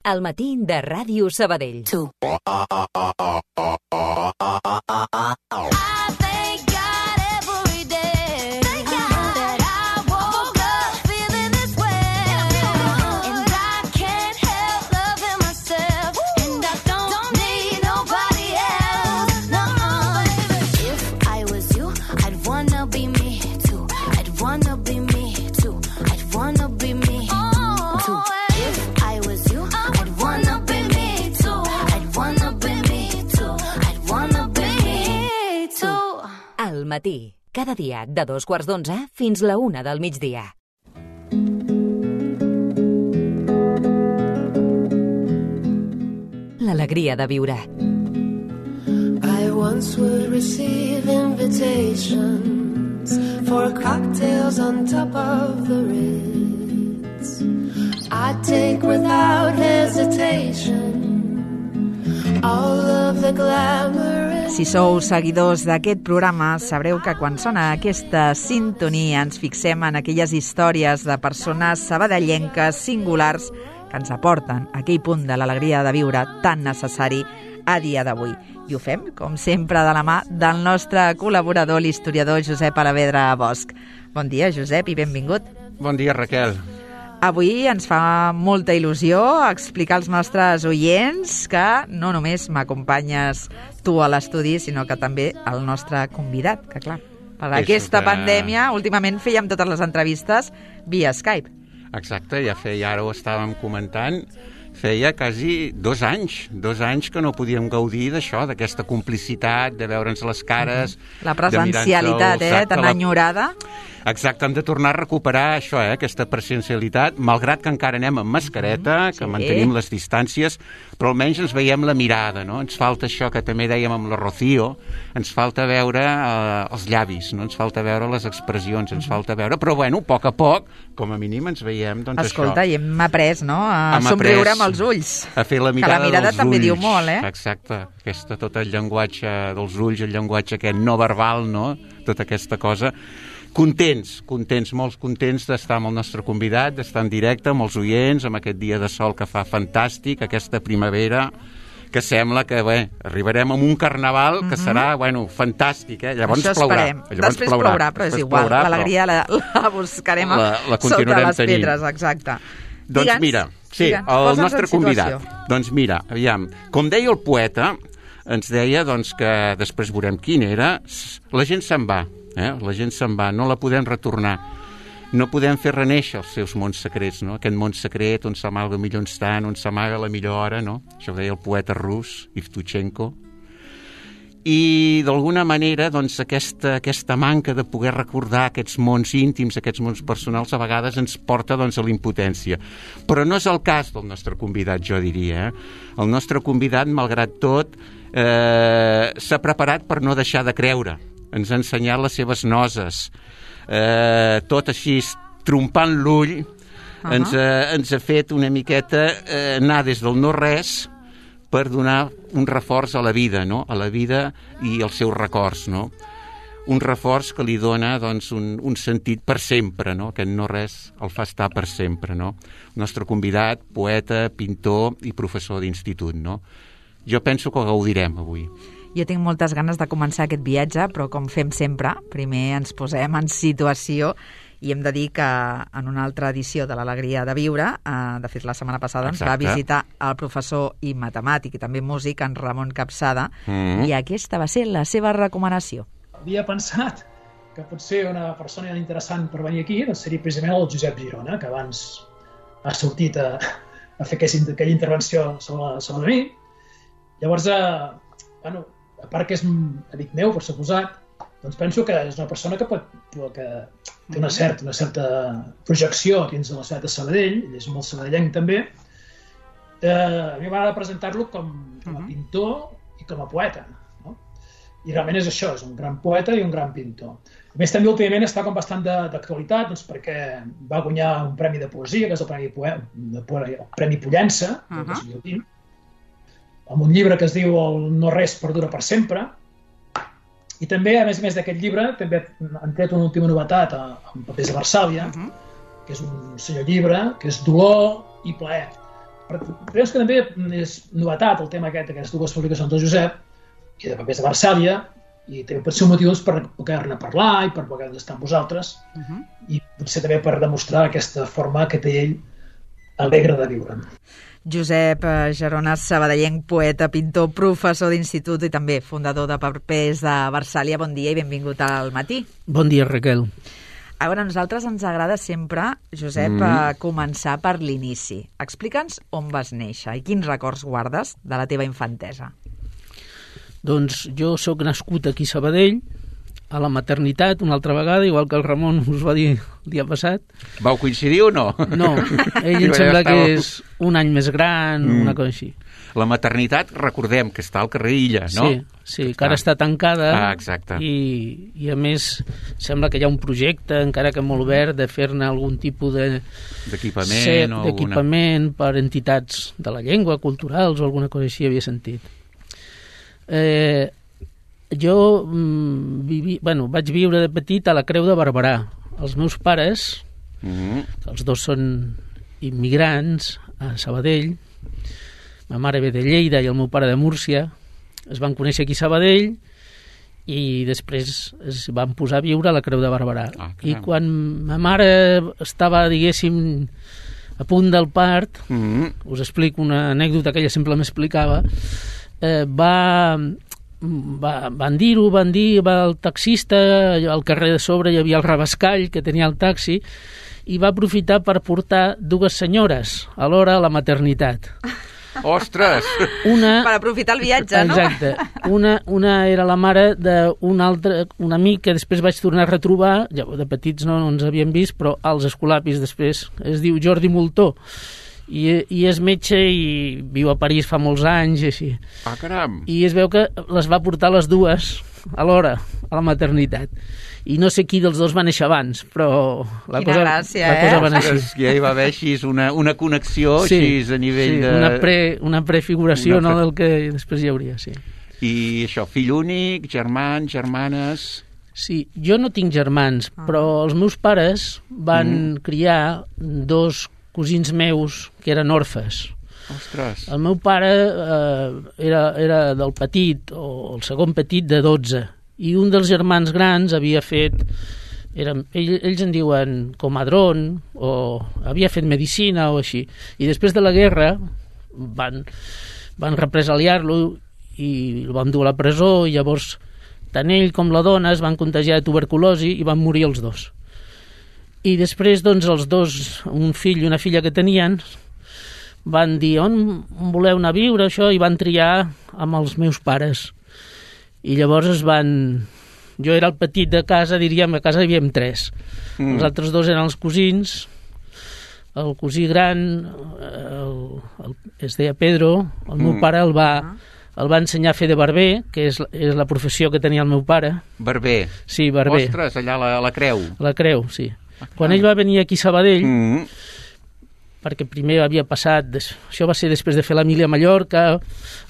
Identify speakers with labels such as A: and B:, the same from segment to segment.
A: Al matí de Ràdio Sabadell. Al matí, cada dia de 2:15 fins la 1 del migdia. L'alegria de viure.
B: I once would receive invitations for cocktails on top of the Ritz. I'd take without hesitation all of the glamorous.
C: Si sou seguidors d'aquest programa, sabreu que quan sona aquesta sintonia ens fixem en aquelles històries de persones sabadellenques singulars que ens aporten aquell punt de l'alegria de viure tan necessari a dia d'avui. I ho fem, com sempre, de la mà del nostre col·laborador, l'historiador Josep Alavedra Bosch. Bon dia, Josep, i benvingut.
D: Bon dia, Raquel.
C: Avui ens fa molta il·lusió explicar als nostres oients que no només m'acompanyes tu a l'estudi, sinó que també el nostre convidat, que clar, per aquesta pandèmia, últimament fèiem totes les entrevistes via Skype.
D: Exacte, ara ho estàvem comentant, feia quasi 2 anys que no podíem gaudir d'això, d'aquesta complicitat, de veure'ns les cares.
C: La presencialitat, tan enyorada.
D: Exacte, hem de tornar a recuperar això, aquesta presencialitat, malgrat que encara anem amb mascareta, que mantenim les distàncies, però almenys ens veiem la mirada, no? Ens falta això que també dèiem amb la Rocío, ens falta veure els llavis, no? Ens falta veure les expressions, ens falta veure, però bueno, a poc, com a mínim ens veiem, doncs
C: Escolta,
D: això.
C: I hem après, no?, a somriure amb els ulls.
D: A fer la mirada dels ulls.
C: Que la mirada també diu molt,
D: Exacte, tot el llenguatge dels ulls, el llenguatge aquest no verbal, no?, tota aquesta cosa. Contents, molt contents d'estar amb el nostre convidat, d'estar en directe amb els oients, amb aquest dia de sol que fa fantàstic, aquesta primavera, que sembla que arribarem a un carnaval que serà, fantàstic, Llavors
C: això
D: plourà.
C: Esperem. Després plourà, però és igual, l'alegria la buscarem sota les pedres, exacte.
D: Doncs mira, el nostre convidat. Doncs mira, aviam, com deia el poeta, ens deia que després veurem quin era, la gent se'n va. La gent se'n va, no la podem retornar, no podem fer renéixer els seus mons secrets, no? Aquest món secret on s'amaga el millor instant, on s'amaga la millor hora, no? Això ho deia el poeta rus, Yevtushenko. I d'alguna manera aquesta manca de poder recordar aquests mons íntims, aquests mons personals, a vegades ens porta a la impotència. Però no és el cas del nostre convidat, jo diria. El nostre convidat, malgrat tot, s'ha preparat per no deixar de creure. Ens ha ensenyat les seves noses, tot així, trompant l'ull, ens ha fet una miqueta anar des del no-res per donar un reforç a la vida, no? A la vida i als seus records, no? Un reforç que li dona un sentit per sempre, no? Aquest no-res el fa estar per sempre, no? El nostre convidat, poeta, pintor i professor d'institut, no? Jo penso que ho gaudirem avui.
C: Jo tinc moltes ganes de començar aquest viatge, però com fem sempre, primer ens posem en situació i hem de dir que en una altra edició de l'Alegria de Viure, de fet la setmana passada ens va visitar el professor i matemàtic i també músic, en Ramon Capçada, i aquesta va ser la seva recomanació.
E: Havia pensat que potser una persona interessant per venir aquí seria precisament el Josep Girona, que abans ha sortit a fer aquella intervenció sobre mi. Llavors, a part que és un amic meu, per suposat, doncs penso que és una persona que té una certa projecció dins de la ciutat de Sabadell, ell és molt sabadellenc també. A mi m'agrada presentar-lo com a pintor i com a poeta, no? I realment és això, és un gran poeta i un gran pintor. A més, també últimament està com bastant d'actualitat, doncs perquè va guanyar un premi de poesia, que és el Premi Pollença, del 2020, amb un llibre que es diu El no res perdura per sempre. I també, a més d'aquest llibre, també han tret una última novetat amb papers de Varsàvia, que és un senyor llibre, que és Dolor i plaer. Creus que també és novetat el tema d'aquestes dues publicacions del Josep i de papers de Varsàlia, i també pot ser un motiu per poder-ne parlar i per poder estar amb vosaltres, i potser també per demostrar aquesta forma que té ell alegre de viure.
C: Josep Gerones, sabadellenc, poeta, pintor, professor d'institut i també fundador de papers de Varsàlia. Bon dia i benvingut al matí.
F: Bon dia, Raquel.
C: A veure, a nosaltres ens agrada sempre, Josep, començar per l'inici. Explica'ns on vas néixer i quins records guardes de la teva infantesa.
F: Doncs jo sóc nascut aquí a Sabadell, a la maternitat, una altra vegada, igual que el Ramon us va dir el dia passat.
D: Vau coincidir o no?
F: No, ell em sembla que és un any més gran, una cosa així.
D: La maternitat, recordem que està al carrer Illa, no?
F: Sí, que ara està tancada.
D: Exacte.
F: I a més, sembla que hi ha un projecte, encara que molt obert, de fer-ne algun tipus d'equipament per entitats de la llengua, culturals o alguna cosa així, havia sentit. Jo vaig viure de petit a la Creu de Barberà. Els meus pares, els dos són immigrants a Sabadell, ma mare ve de Lleida i el meu pare de Múrcia, es van conèixer aquí a Sabadell i després es van posar a viure a la Creu de Barberà. I quan ma mare estava, diguéssim, a punt del part, us explico una anècdota que ella sempre m'explicava, van dir, va el taxista, al carrer de sobre hi havia el Rabascall, que tenia el taxi, i va aprofitar per portar dues senyores alhora a la maternitat.
D: Ostres!
C: Per aprofitar el viatge, no?
F: Exacte. Una era la mare d'un altre, un amic que després vaig tornar a retrobar, de petits no ens havíem vist, però als escolapis després, es diu Jordi Moltó, i és metge i viu a París fa molts anys i així.
D: Caram!
F: I es veu que les va portar les dues alhora a la maternitat. I no sé qui dels dos va néixer abans, però la cosa va anar així.
D: Ja hi va haver així una connexió així a nivell de...
F: una prefiguració del que després hi hauria, sí.
D: I això, fill únic, germans, germanes...
F: Sí, jo no tinc germans, però els meus pares van criar dos cosins meus que eren orfes.
D: Ostres!
F: El meu pare era del petit, o el segon petit de 12, i un dels germans grans havia fet, ells en diuen comadrón, o havia fet medicina o així, i després de la guerra van represaliar-lo i el van dur a la presó, i llavors tant ell com la dona es van contagiar de tuberculosi i van morir els dos. I després, doncs, els dos, un fill i una filla que tenien, van dir, on voleu anar a viure, això? I van triar amb els meus pares. I llavors jo era el petit de casa, diríem, a casa hi havíem 3. Els altres dos eren els cosins, el cosí gran es deia Pedro, el meu pare el va ensenyar a fer de barber, que és la professió que tenia el meu pare.
D: Barber?
F: Sí, barber.
D: Ostres, allà a la Creu.
F: La Creu, sí. Quan ell va venir aquí a Sabadell, perquè primer havia passat, això va ser després de fer la mili a Mallorca,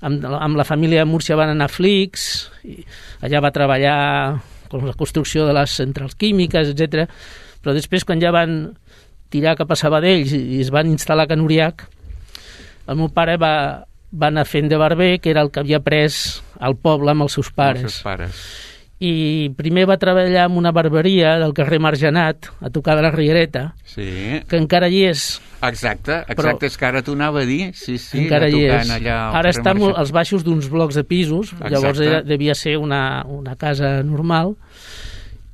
F: amb la família de Múrcia van anar a Flix, i allà va treballar amb la construcció de les centrals químiques, etc. Però després, quan ja van tirar cap a Sabadell i es van instal·lar a Can Uriac, el meu pare va anar fent de barber, que era el que havia pres al poble amb els seus pares. I primer va treballar en una barberia del carrer Margenat, a tocar de la Riereta, que encara hi és.
D: Exacte, és que ara t'ho anava a dir, sí,
F: encara hi és. Ara està als baixos d'uns blocs de pisos, llavors devia ser una casa normal,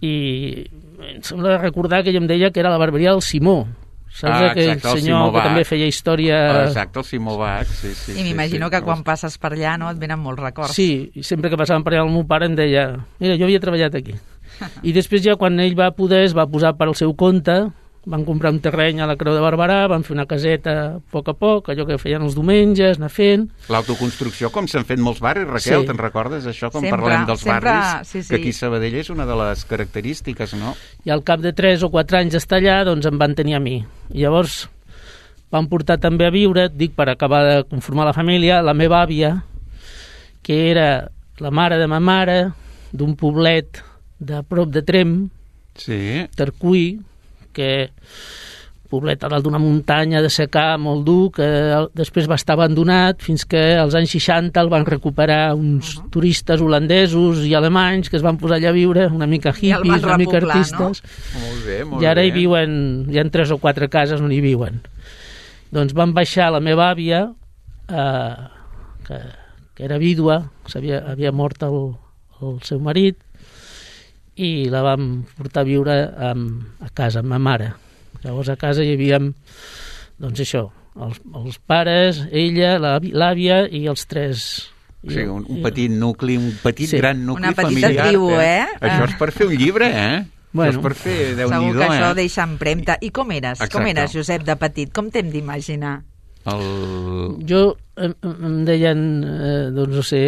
F: i em sembla recordar que ell em deia que era la barberia del Simó. Saps aquell senyor que també feia història...
D: Exacte, el Simó Bach, sí.
C: I m'imagino que quan passes per allà et venen molts records.
F: Sí, i sempre que passàvem per allà el meu pare em deia, mira, jo havia treballat aquí. I després ja quan ell va poder es va posar per al seu compte, van comprar un terreny a la Creu de Barberà, van fer una caseta a poc, allò que feien els diumenges, anar fent...
D: L'autoconstrucció, com s'han fet molts barris, Raquel, te'n recordes això, quan parlem dels barris? Que aquí a Sabadell és una de les característiques, no?
F: I al cap de 3 o 4 anys d'estar allà, doncs em van tenir a mi. I llavors van portar també a viure, per acabar de conformar la família, la meva àvia, que era la mare de ma mare, d'un poblet de prop de Tremp, Tercuí, que poblet a dalt d'una muntanya de secà molt dur, que després va estar abandonat fins que als anys 60 el van recuperar uns turistes holandesos i alemanys que es van posar allà a viure, una mica hippies, una mica artistes.
D: No? Molt bé, molt
F: I ara
D: bé.
F: hi viuen, hi ha 3 o 4 cases on hi viuen. Doncs van baixar la meva àvia, que era vídua, havia mort el seu marit, i la vam portar a viure a casa, amb ma mare. Llavors a casa hi havia, doncs això, els pares, ella, l'àvia i els 3.
D: O sigui, un petit nucli, un petit gran nucli
C: una
D: familiar.
C: petita tribu,
D: Això és per fer un llibre,
C: Bueno,
D: això és per fer Déu-n'hi-do,
C: segur que això deixa empremta. I com eres?
D: Exacte.
C: Com eres, Josep, de petit? Com t'hem d'imaginar?
F: Jo em deien, doncs no sé,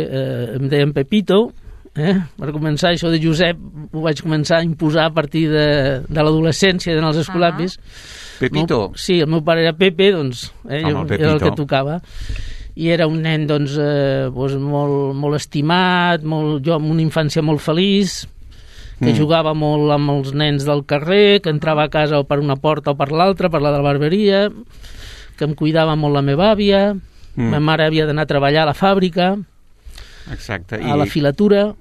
F: em deien Pepito, per començar, això de Josep ho vaig començar a imposar a partir de l'adolescència, d'anar als escolapis.
D: Pepito?
F: Sí, el meu pare era Pepe, doncs era el que tocava. I era un nen doncs, molt estimat, jo amb una infància molt feliç, que jugava molt amb els nens del carrer, que entrava a casa o per una porta o per l'altra, per la de la barberia, que em cuidava molt la meva àvia, ma mare havia d'anar a treballar a la fàbrica,
D: exacte.
F: a la filatura.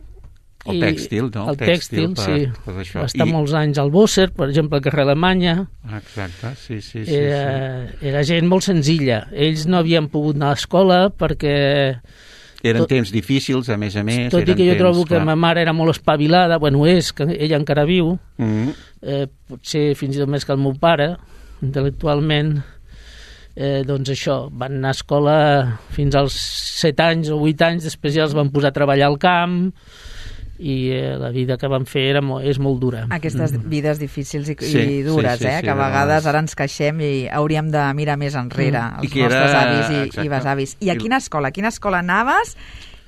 D: El tèxtil, no?
F: El tèxtil, sí. Va estar molts anys al Bosser, per exemple, al carrer Alemanya.
D: Exacte, sí.
F: Era gent molt senzilla. Ells no havien pogut anar a l'escola perquè...
D: Eren temps difícils, a més.
F: Tot i que jo trobo que ma mare era molt espavilada, és que ella encara viu, potser fins i tot més que el meu pare, intel·lectualment, doncs això, van anar a escola fins als 7 anys o 8 anys, després ja els van posar a treballar al camp, i la vida que van fer és molt dura.
C: Aquestes vides difícils i dures, que a vegades ara ens queixem i hauríem de mirar més enrere, els nostres avis i besavis. I a quina escola anaves?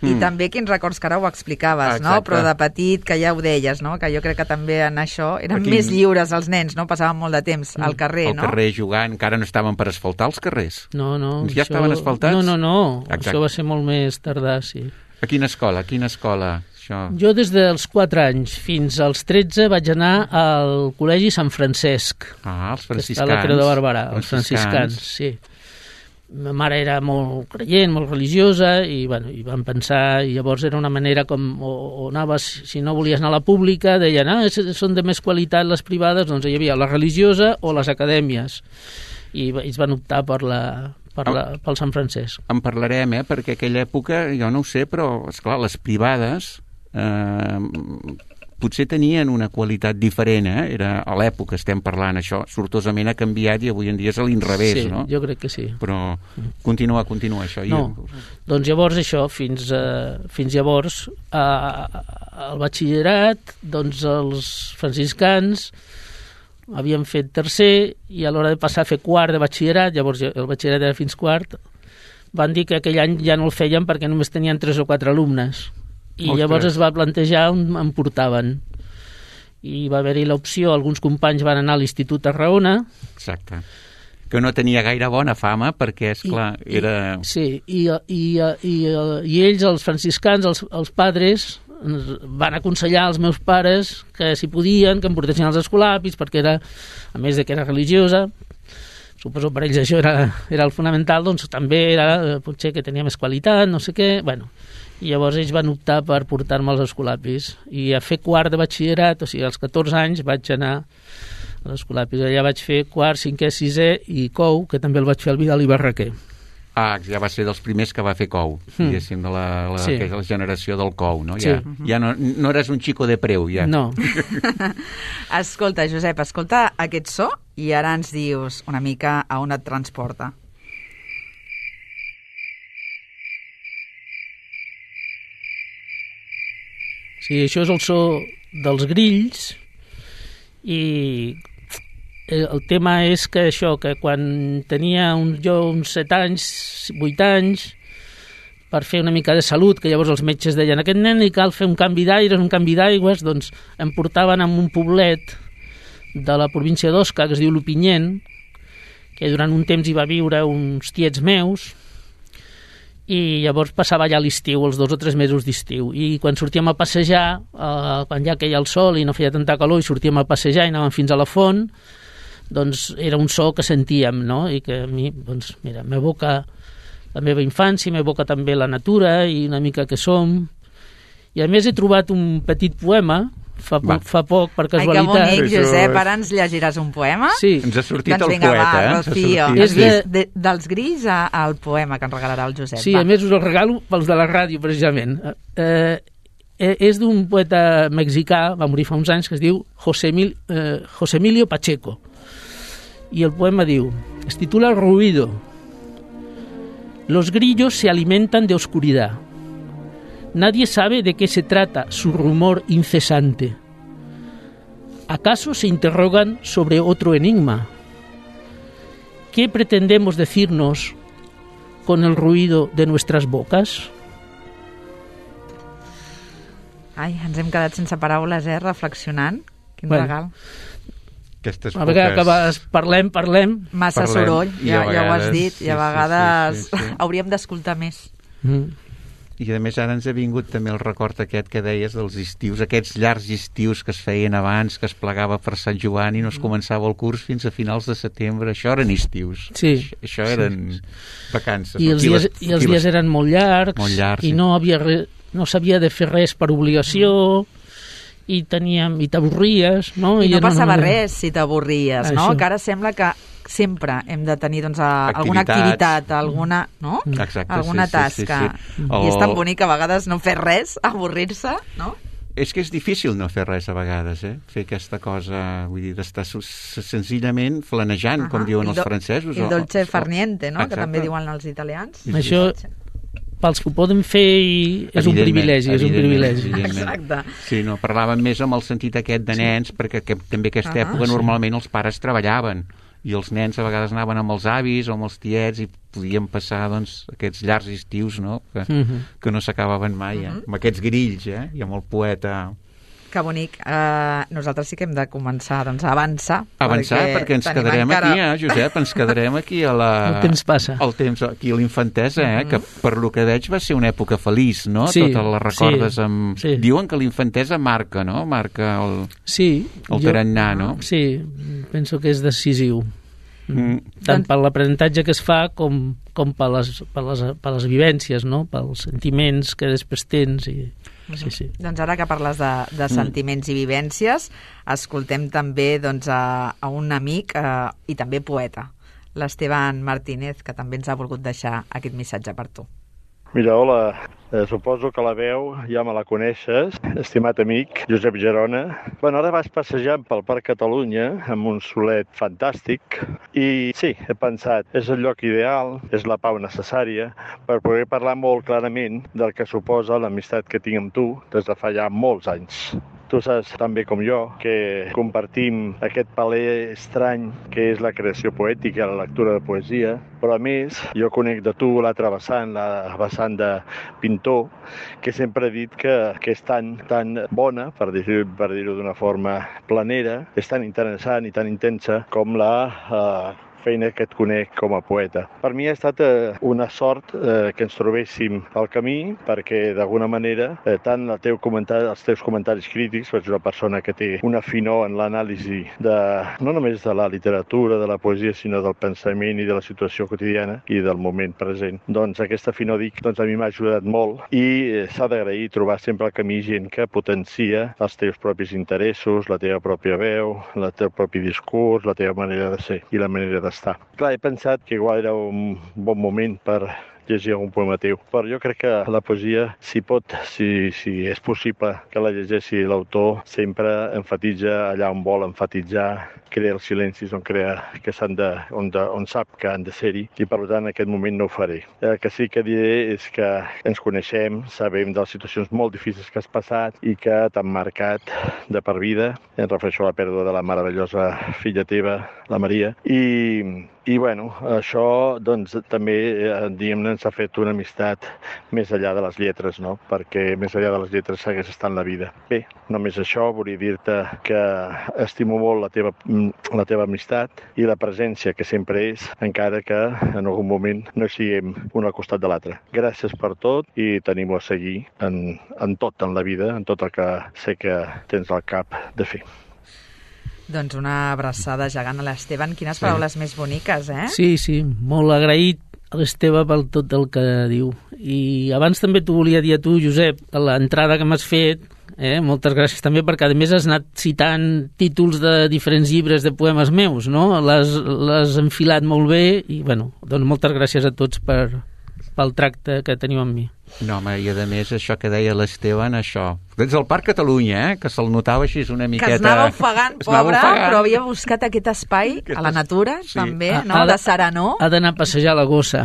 C: I també quins records, que ara ho explicaves, no? Però de petit, que ja ho deies, no? Que jo crec que també en això eren més lliures els nens, no? Passaven molt de temps al carrer, no?
D: Al carrer jugant, encara no estaven per asfaltar els carrers.
F: No.
D: Ja estaven asfaltats?
F: No. Això va ser molt més tardà, sí.
D: A quina escola? Això?
F: Jo des dels 4 anys fins als 13 vaig anar al Col·legi Sant Francesc.
D: Els franciscans.
F: Que està a la Creu de Barberà, els franciscans, sí. Ma mare era molt creient, molt religiosa, i van pensar, i llavors era una manera com, o anaves, si no volies anar a la pública, deien, són de més qualitat les privades, doncs hi havia la religiosa o les acadèmies, i ells van optar pel Sant Francesc.
D: En parlarem, perquè aquella època, jo no ho sé, però, esclar, les privades potser tenien una qualitat diferent, Era a l'època, estem parlant, això sortosament ha canviat i avui en dia és a l'inrevés,
F: sí,
D: no?
F: Jo crec que sí.
D: Però continua això.
F: Doncs llavors això, fins llavors, al batxillerat, doncs els franciscans havien fet tercer i a l'hora de passar a fer quart de batxillerat, llavors el batxillerat era fins quart, van dir que aquell any ja no el feien perquè només tenien 3 o 4 alumnes. I llavors es va plantejar on em portaven. I va haver-hi l'opció, alguns companys van anar a l'Institut a Raona.
D: Exacte. Que no tenia gaire bona fama, perquè, esclar, era...
F: Sí, i ells, els franciscans, els padres, van aconsellar als meus pares que si podien, que em portessin als escolapis, perquè era, a més de que era religiosa, suposo per ells això era el fonamental, doncs també era potser que tenia més qualitat, no sé què, i llavors ells van optar per portar-me als escolapis i a fer quart de batxillerat, o sigui, als 14 anys vaig anar a l'escolapis, allà vaig fer quart, 5è, 6è i COU, que també el vaig fer al Vidal i Barraquer.
D: Ja va ser dels primers que va fer COU, diguéssim, de la generació del COU, no?
F: Sí.
D: Ja no eres un xico de preu, ja.
F: No.
C: Escolta, Josep, escolta aquest so i ara ens dius una mica a on et transporta.
F: Sí, això és el so dels grills i el tema és que això, que quan tenia jo uns 7 anys, 8 anys, per fer una mica de salut, que llavors els metges deien aquest nen li cal fer un canvi d'aire, un canvi d'aigües, doncs em portaven a un poblet de la província d'Osca, que es diu Lupinyent, que durant un temps hi va viure uns tiets meus, i llavors passava allà l'estiu, els 2 o 3 mesos d'estiu, i quan sortíem a passejar, quan ja queia el sol i no feia tanta calor i sortíem a passejar i anàvem fins a la font, doncs era un so que sentíem, no? I que a mi, doncs, mira, m'evoca la meva infància, m'evoca també la natura i una mica que som. I a més he trobat un petit poema fa poc, per casualitat.
C: Ai, que bonic, Josep, ara ens llegiràs un poema?
F: Sí.
D: Ens ha sortit
C: doncs
D: el
C: vinga,
D: poeta,
C: va, Rocío.
F: És
C: dels grills al poema que ens regalarà el Josep.
F: Sí, a més us el regalo pels de la ràdio, precisament. És d'un poeta mexicà, va morir fa uns anys, que es diu José Emilio Pacheco. Y el poema diu, es titula Ruido. Los grillos se alimentan de oscuridad. Nadie sabe de qué se trata su rumor incesante. ¿Acaso se interrogan sobre otro enigma? ¿Qué pretendemos decirnos con el ruido de nuestras bocas?
C: Ai, ens hem quedat sense paraules, reflexionant. Quin regal.
D: Aquestes
F: a vegades parlem.
C: Massa soroll, ja ho has dit, i a vegades hauríem d'escoltar més.
D: I a més ara ens ha vingut també el record aquest que deies dels estius, aquests llargs estius que es feien abans, que es plegava per Sant Joan i no es començava el curs fins a finals de setembre. Això eren estius.
F: Sí.
D: Això eren vacances.
F: I els dies eren molt llargs i no s'havia de fer res per obligació i t'avorries, no?
C: I no passava res si t'avorries, no? Que ara sembla que sempre hem de tenir alguna activitat, alguna, no?
D: Exacte,
C: alguna tasca. I és tan bonic a vegades no fer res, avorrir-se, no?
D: És que és difícil no fer res a vegades, fer aquesta cosa, vull dir, d'estar senzillament flanejant, com diuen els francesos.
C: El dolce farniente, no? Que també diuen els italians.
F: Això, pels que ho poden fer, és un privilegi.
C: Exacte.
D: Sí, no, parlàvem més amb el sentit aquest de nens, perquè també aquesta època normalment els pares treballaven i els nens a vegades anaven amb els avis o amb els tiets i podien passar aquests llargs estius, no? Que no s'acabaven mai, amb aquests grills, i amb el poeta.
C: Que bonic. Nosaltres sí que hem de començar a avançar.
D: Perquè ens quedarem aquí, Josep, ens quedarem aquí a la...
F: El temps passa.
D: El temps, aquí a l'infantesa, que per lo que veig va ser una època feliç, no?
F: Sí,
D: totes les recordes amb... Sí. Diuen que l'infantesa marca, no? Marca el tarannà, no?
F: Sí, penso que és decisiu. Tant per l'aprenentatge que es fa com per les vivències, no? Pels sentiments que després tens i... Sí.
C: Doncs ara que parles de sentiments i vivències, escoltem també a un amic i també poeta, l'Esteban Martínez, que també ens ha volgut deixar aquest missatge per tu.
G: Mira, hola, suposo que la veu ja me la coneixes, estimat amic Josep Girona. Ara vas passejant pel Parc Catalunya amb un solet fantàstic i sí, he pensat, és el lloc ideal, és la pau necessària per poder parlar molt clarament del que suposa l'amistat que tinc amb tu des de fa ja molts anys. Tu saps tan bé com jo que compartim aquest paler estrany que és la creació poètica, la lectura de poesia, però a més jo conec de tu l'altra vessant, la vessant de pintor, que sempre he dit que és tan bona, per dir-ho d'una forma planera, és tan interessant i tan intensa com la feina que et conec com a poeta. Per mi ha estat una sort que ens trobéssim al camí, perquè d'alguna manera tant els teus comentaris crítics, ets una persona que té una finor en l'anàlisi no només de la literatura, de la poesia, sinó del pensament i de la situació quotidiana i del moment present. Doncs aquesta finor, a mi m'ha ajudat molt i s'ha d'agrair trobar sempre al camí gent que potencia els teus propis interessos, la teva pròpia veu, el teu propi discurs, la teva manera de ser i la manera d'estar. Clar, he pensat que igual era un bon moment per llegir algun poema teu, però jo crec que la poesia, si és possible que la llegeixi l'autor, sempre enfatitza allà on vol enfatitzar, crea els silencis on sap que han de ser-hi, i per tant en aquest moment no ho faré. El que sí que diré és que ens coneixem, sabem de les situacions molt difícils que has passat i que t'han marcat de per vida. Em refereixo a la pèrdua de la meravellosa filla teva, la Maria, i bueno, això també diguem-ne ens ha fet una amistat més enllà de les lletres, no? Perquè més enllà de les lletres segueix estant la vida. Bé, només això, volia dir-te que estimo molt la teva amistat i la presència que sempre és, encara que en algun moment no siguem un al costat de l'altre. Gràcies per tot i t'animo a seguir en tot en la vida, en tot el que sé que tens al cap de fer.
C: Doncs una abraçada gegant a l'Esteban. Quines paraules més boniques, eh?
F: Sí, molt agraït a l'Esteve per tot el que diu. I abans també t'ho volia dir a tu, Josep, a l'entrada que m'has fet, moltes gràcies també, perquè a més has anat citant títols de diferents llibres de poemes meus, no? L'has enfilat molt bé i, bueno, doncs moltes gràcies a tots pel tracte que teniu amb mi.
D: No, home, i a més això que deia l'Esteban, això. Des del Parc Catalunya, que se'l notava així una miqueta...
C: Que es anava ofegant, pobre, però havia buscat aquest espai a la natura, també, no? De serenor.
F: Ha d'anar a passejar la gossa.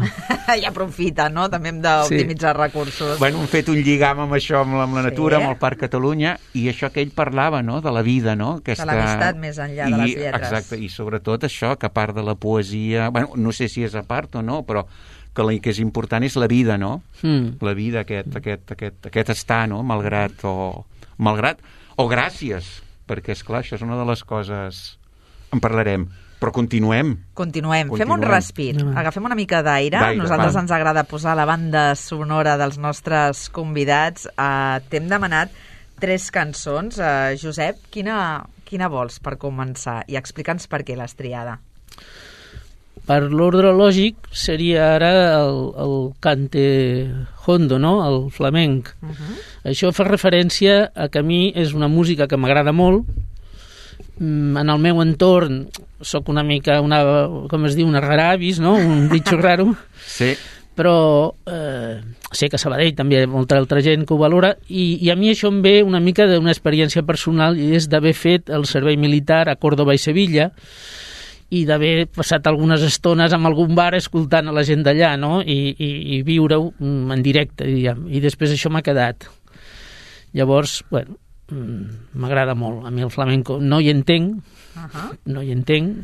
C: I aprofita, no? També hem d'optimitzar recursos.
D: Bueno, hem fet un lligam amb això, amb la natura, amb el Parc Catalunya, i això que ell parlava, no?, de la vida, no?
C: De l'amistat més enllà de les lletres.
D: Exacte, i sobretot això, que a part de la poesia... Bueno, no sé si és a part o no, però que és important és la vida, no? La vida, aquest estar, no? Malgrat o gràcies, perquè, esclar, això és una de les coses... En parlarem, però continuem.
C: Fem un respir, agafem una mica d'aire. Nosaltres ens agrada posar la banda sonora dels nostres convidats. T'hem demanat 3 cançons. Josep, quina vols per començar? I explica'ns per què l'has triada.
F: Per l'ordre lògic seria ara el cante hondo, no? El flamenc. Això fa referència a que a mi és una música que m'agrada molt. En el meu entorn sóc una mica, com es diu, una raravis, no? Un bitxo raro.
D: Sí.
F: Però sé que a Sabadell també hi ha molta altra gent que ho valora i a mi això em ve una mica d'una experiència personal i és d'haver fet el servei militar a Còrdova i Sevilla i d'haver passat algunes estones en algun bar escoltant a la gent d'allà, no? I viure-ho en directe, diguem. I després això m'ha quedat. Llavors, bueno, m'agrada molt. A mi el flamenco no hi entenc,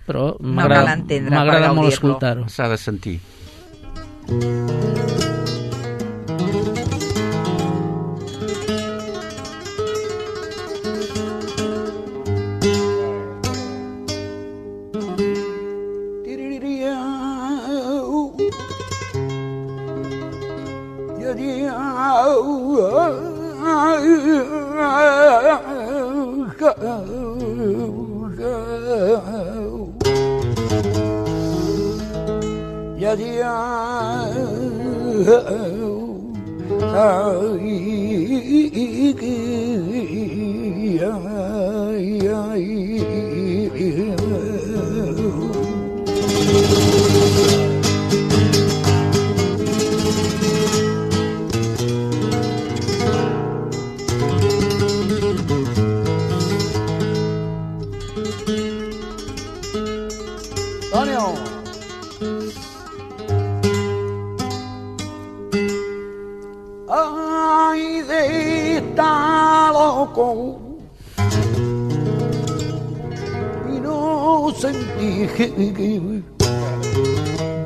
F: però m'agrada molt escoltar-ho.
D: S'ha de sentir.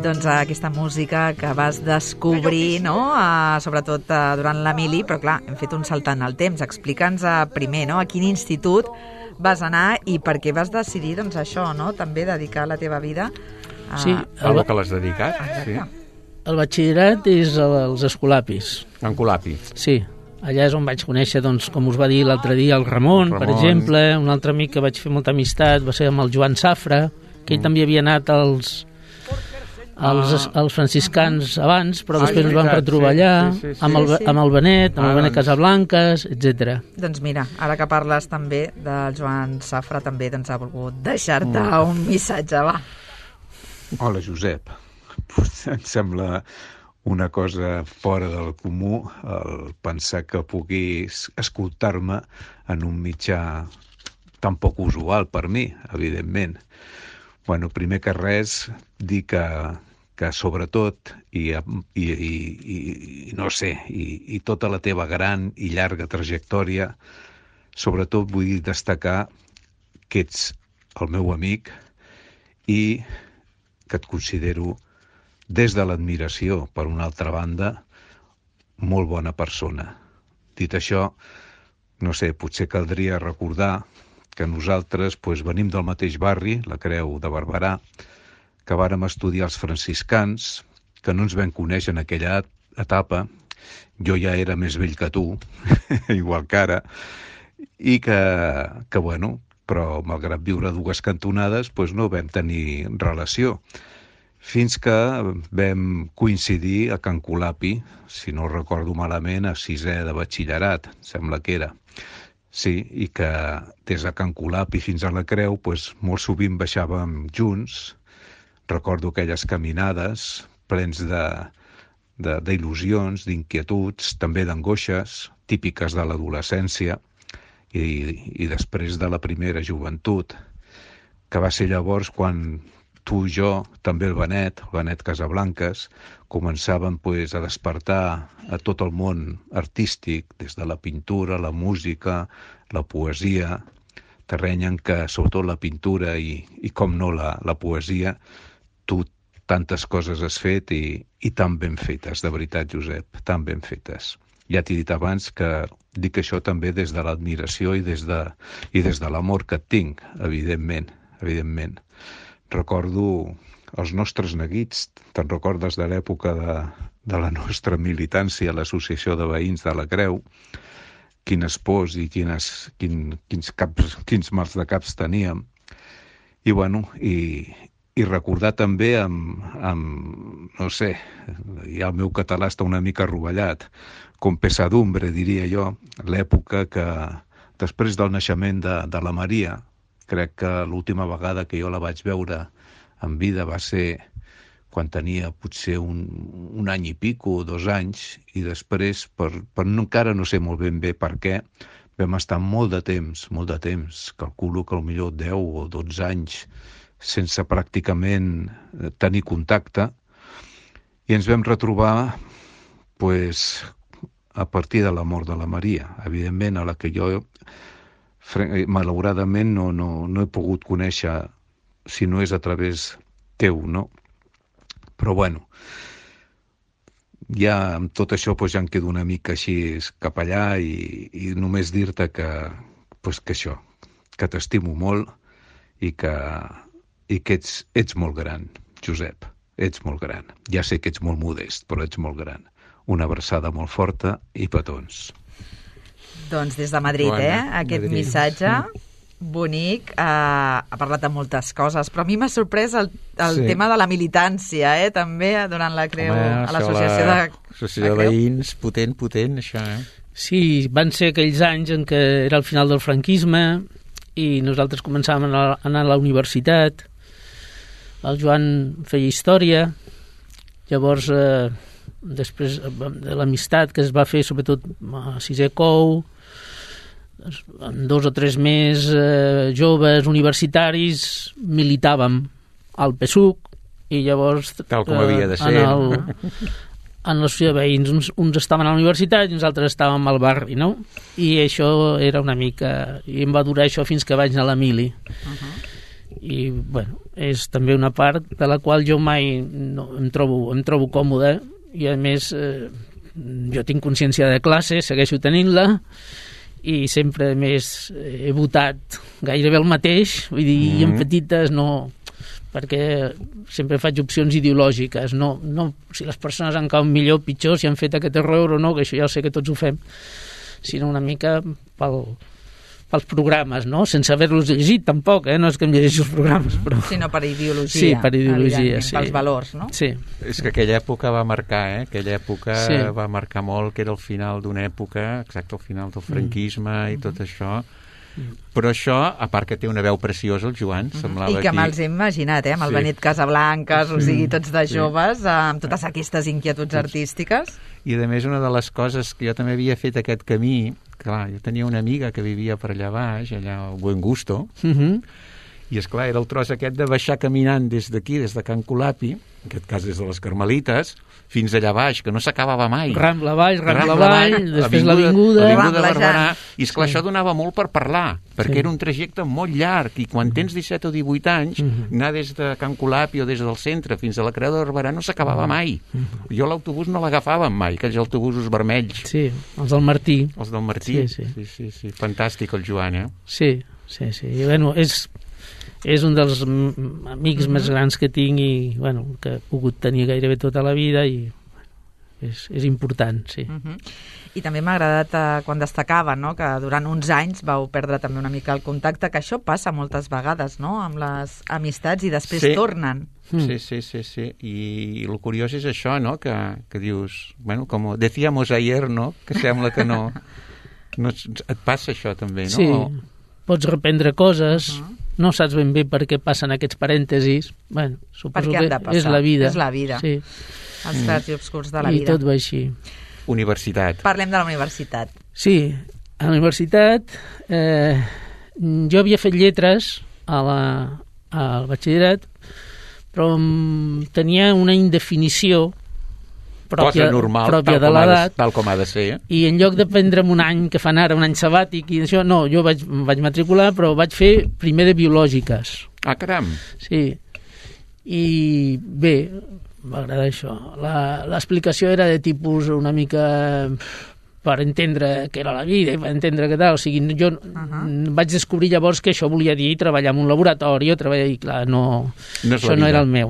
C: Doncs aquesta música que vas descobrir, no? Sobretot durant la mili, però clar, hem fet un salt en el temps. Explica'ns primer, no? A quin institut vas anar i per què vas decidir, doncs això, no? També dedicar la teva vida a...
F: Sí,
D: a lo que l'has dedicat. Sí.
F: El batxillerat és als Escolapis.
D: En Colapi.
F: Sí, allà és on vaig conèixer, doncs, com us va dir l'altre dia, el Ramon, per exemple. Un altre amic que vaig fer molta amistat va ser amb el Joan Safra, que ell també havia anat als franciscans abans, però després ens vam retrobar allà, amb el Benet, amb el Benet Casablanques, etc.
C: Doncs mira, ara que parles també del Joan Safra, també doncs ha volgut deixar-te un missatge, va.
H: Hola, Josep. Em sembla una cosa fora del comú el pensar que puguis escoltar-me en un mitjà tan poc usual per mi, evidentment. Bueno, primer que res, dir que sobretot, i no sé, i tota la teva gran i llarga trajectòria, sobretot vull destacar que ets el meu amic i que et considero, des de l'admiració, per una altra banda, molt bona persona. Dit això, no sé, potser caldria recordar que nosaltres venim del mateix barri, la Creu de Barberà, que vàrem estudiar els franciscans, que no ens vam conèixer en aquella etapa, jo ja era més vell que tu, igual que ara, i que bueno, però malgrat viure a dues cantonades no vam tenir relació. Fins que vam coincidir a Can Colapi, si no recordo malament, a 6è de batxillerat, sembla que era. Sí, i que des de Can Colapi fins a la Creu molt sovint baixàvem junts. Recordo aquelles caminades plens d'il·lusions, d'inquietuds, també d'angoixes, típiques de l'adolescència i després de la primera joventut, que va ser llavors quan tu i jo, també el Benet Casablanques, començàvem a despertar a tot el món artístic, des de la pintura, la música, la poesia, terreny en què, sobretot la pintura i com no la poesia, tu tantes coses has fet i tan ben fetes, de veritat, Josep, tan ben fetes. Ja t'he dit abans que dic això també des de l'admiració i des de l'amor que et tinc, evidentment. Recordo els nostres neguits, te'n recordes de l'època de la nostra militància a l'Associació de Veïns de la Creu, quines pors i quins mals de caps teníem. I recordar també no sé, ja el meu català està una mica rovellat, com pesadumbre, diria jo, l'època que després del naixement de la Maria, crec que l'última vegada que jo la vaig veure en vida va ser quan tenia potser un any i pico, 2 anys, i després, encara no sé molt ben bé per què, vam estar molt de temps, calculo que potser 10 o 12 anys, sense pràcticament tenir contacte, i ens vam retrobar a partir de la mort de la Maria, evidentment, a la que jo malauradament no he pogut conèixer, si no és a través teu, no? Però ja amb tot això ja em quedo una mica així cap allà i només dir-te que això, que t'estimo molt i que ets molt gran, Josep, ets molt gran. Ja sé que ets molt modest, però ets molt gran. Una abraçada molt forta i petons.
C: Doncs des de Madrid, aquest missatge bonic, ha parlat de moltes coses, però a mi m'ha sorprès el tema de la militància, també, donant la creu a l'associació de...
D: L'associació de veïns, potent, això,
F: Sí, van ser aquells anys en què era el final del franquisme i nosaltres començàvem a anar a la universitat. El Joan feia història, llavors, després de l'amistat que es va fer, sobretot a 6è Cou, amb 2 o 3 més joves universitaris, militàvem al PSUC i llavors
D: tal com havia de ser
F: en l'associació de veïns uns estaven a la universitat i uns altres estàvem al barri, no? I això era una mica... i em va durar això fins que vaig anar a la mili. I és també una part de la qual jo mai em trobo còmode i a més jo tinc consciència de classe, segueixo tenint-la i sempre més he votat gairebé el mateix, vull dir, en petites no, perquè sempre faig opcions ideològiques, no si les persones han cau millor o pitjor, si han fet aquest error o no, que això ja ho sé que tots ho fem, sinó una mica pels programes, no? Sense haver-los llegit tampoc, no és que em llegeixi els programes, però...
C: Sinó per ideologia.
F: Sí, per ideologia, sí.
C: Pels valors, no?
F: Sí.
D: És que aquella època va marcar, aquella època va marcar molt, que era el final d'una època, exacte, el final del franquisme i tot això. Però això, a part que té una veu preciosa, el Joan, semblava
C: i que me'ls he imaginat, amb el Benet Casablanques, o sigui, tots de joves, amb totes aquestes inquietuds artístiques.
D: I a més, una de les coses que jo també havia fet aquest camí, clar, jo tenia una amiga que vivia per allà baix, allà al Buen Gusto, i esclar, era el tros aquest de baixar caminant des d'aquí, des de Can Colapi, en aquest cas des de les Carmelites, fins allà baix, que no s'acabava mai.
F: Rambla avall, després l'Avinguda
D: Barberà, i esclar, això donava molt per parlar, perquè era un trajecte molt llarg, i quan tens 17 o 18 anys, anar des de Can Colapi o des del centre fins a la Creu de Barberà no s'acabava mai. Jo l'autobús no l'agafàvem mai, aquells autobusos vermells.
F: Sí, els del Martí.
D: Els del Martí, sí. Fantàstic el Joan,
F: Sí. I bueno, és un dels amics més grans que tinc i que he pogut tenir gairebé tota la vida i és important, sí.
C: I també m'ha agradat quan destacava, no?, que durant uns anys vau perdre també una mica el contacte, que això passa moltes vegades, no?, amb les amistats i després tornen.
D: Sí. I el curiós és això, no?, que dius, bueno, com decíamos ayer, no?, que sembla que no et passa això també, no?
F: Sí, pots reprendre coses, no saps ben bé per què passen aquests parèntesis, bueno, suposo que és la vida.
C: És la vida,
F: sí.
C: Els clars i obscurs de la vida.
F: I tot va així.
D: Universitat.
C: Parlem de la universitat.
F: Sí, a la universitat jo havia fet lletres al batxillerat, però tenia una indefinició pròpia de l'edat.
D: Tal com ha de ser.
F: I en lloc de prendre'm un any, que fan ara, un any sabàtic, i això, no, jo vaig matricular, però vaig fer primer de biològiques.
D: Ah, caram!
F: Sí. I bé, m'agrada això. L'explicació era de tipus una mica per entendre què era la vida, per entendre què tal. O sigui, jo vaig descobrir llavors que això volia dir treballar en un laboratori o treballar... I clar, això no era el meu.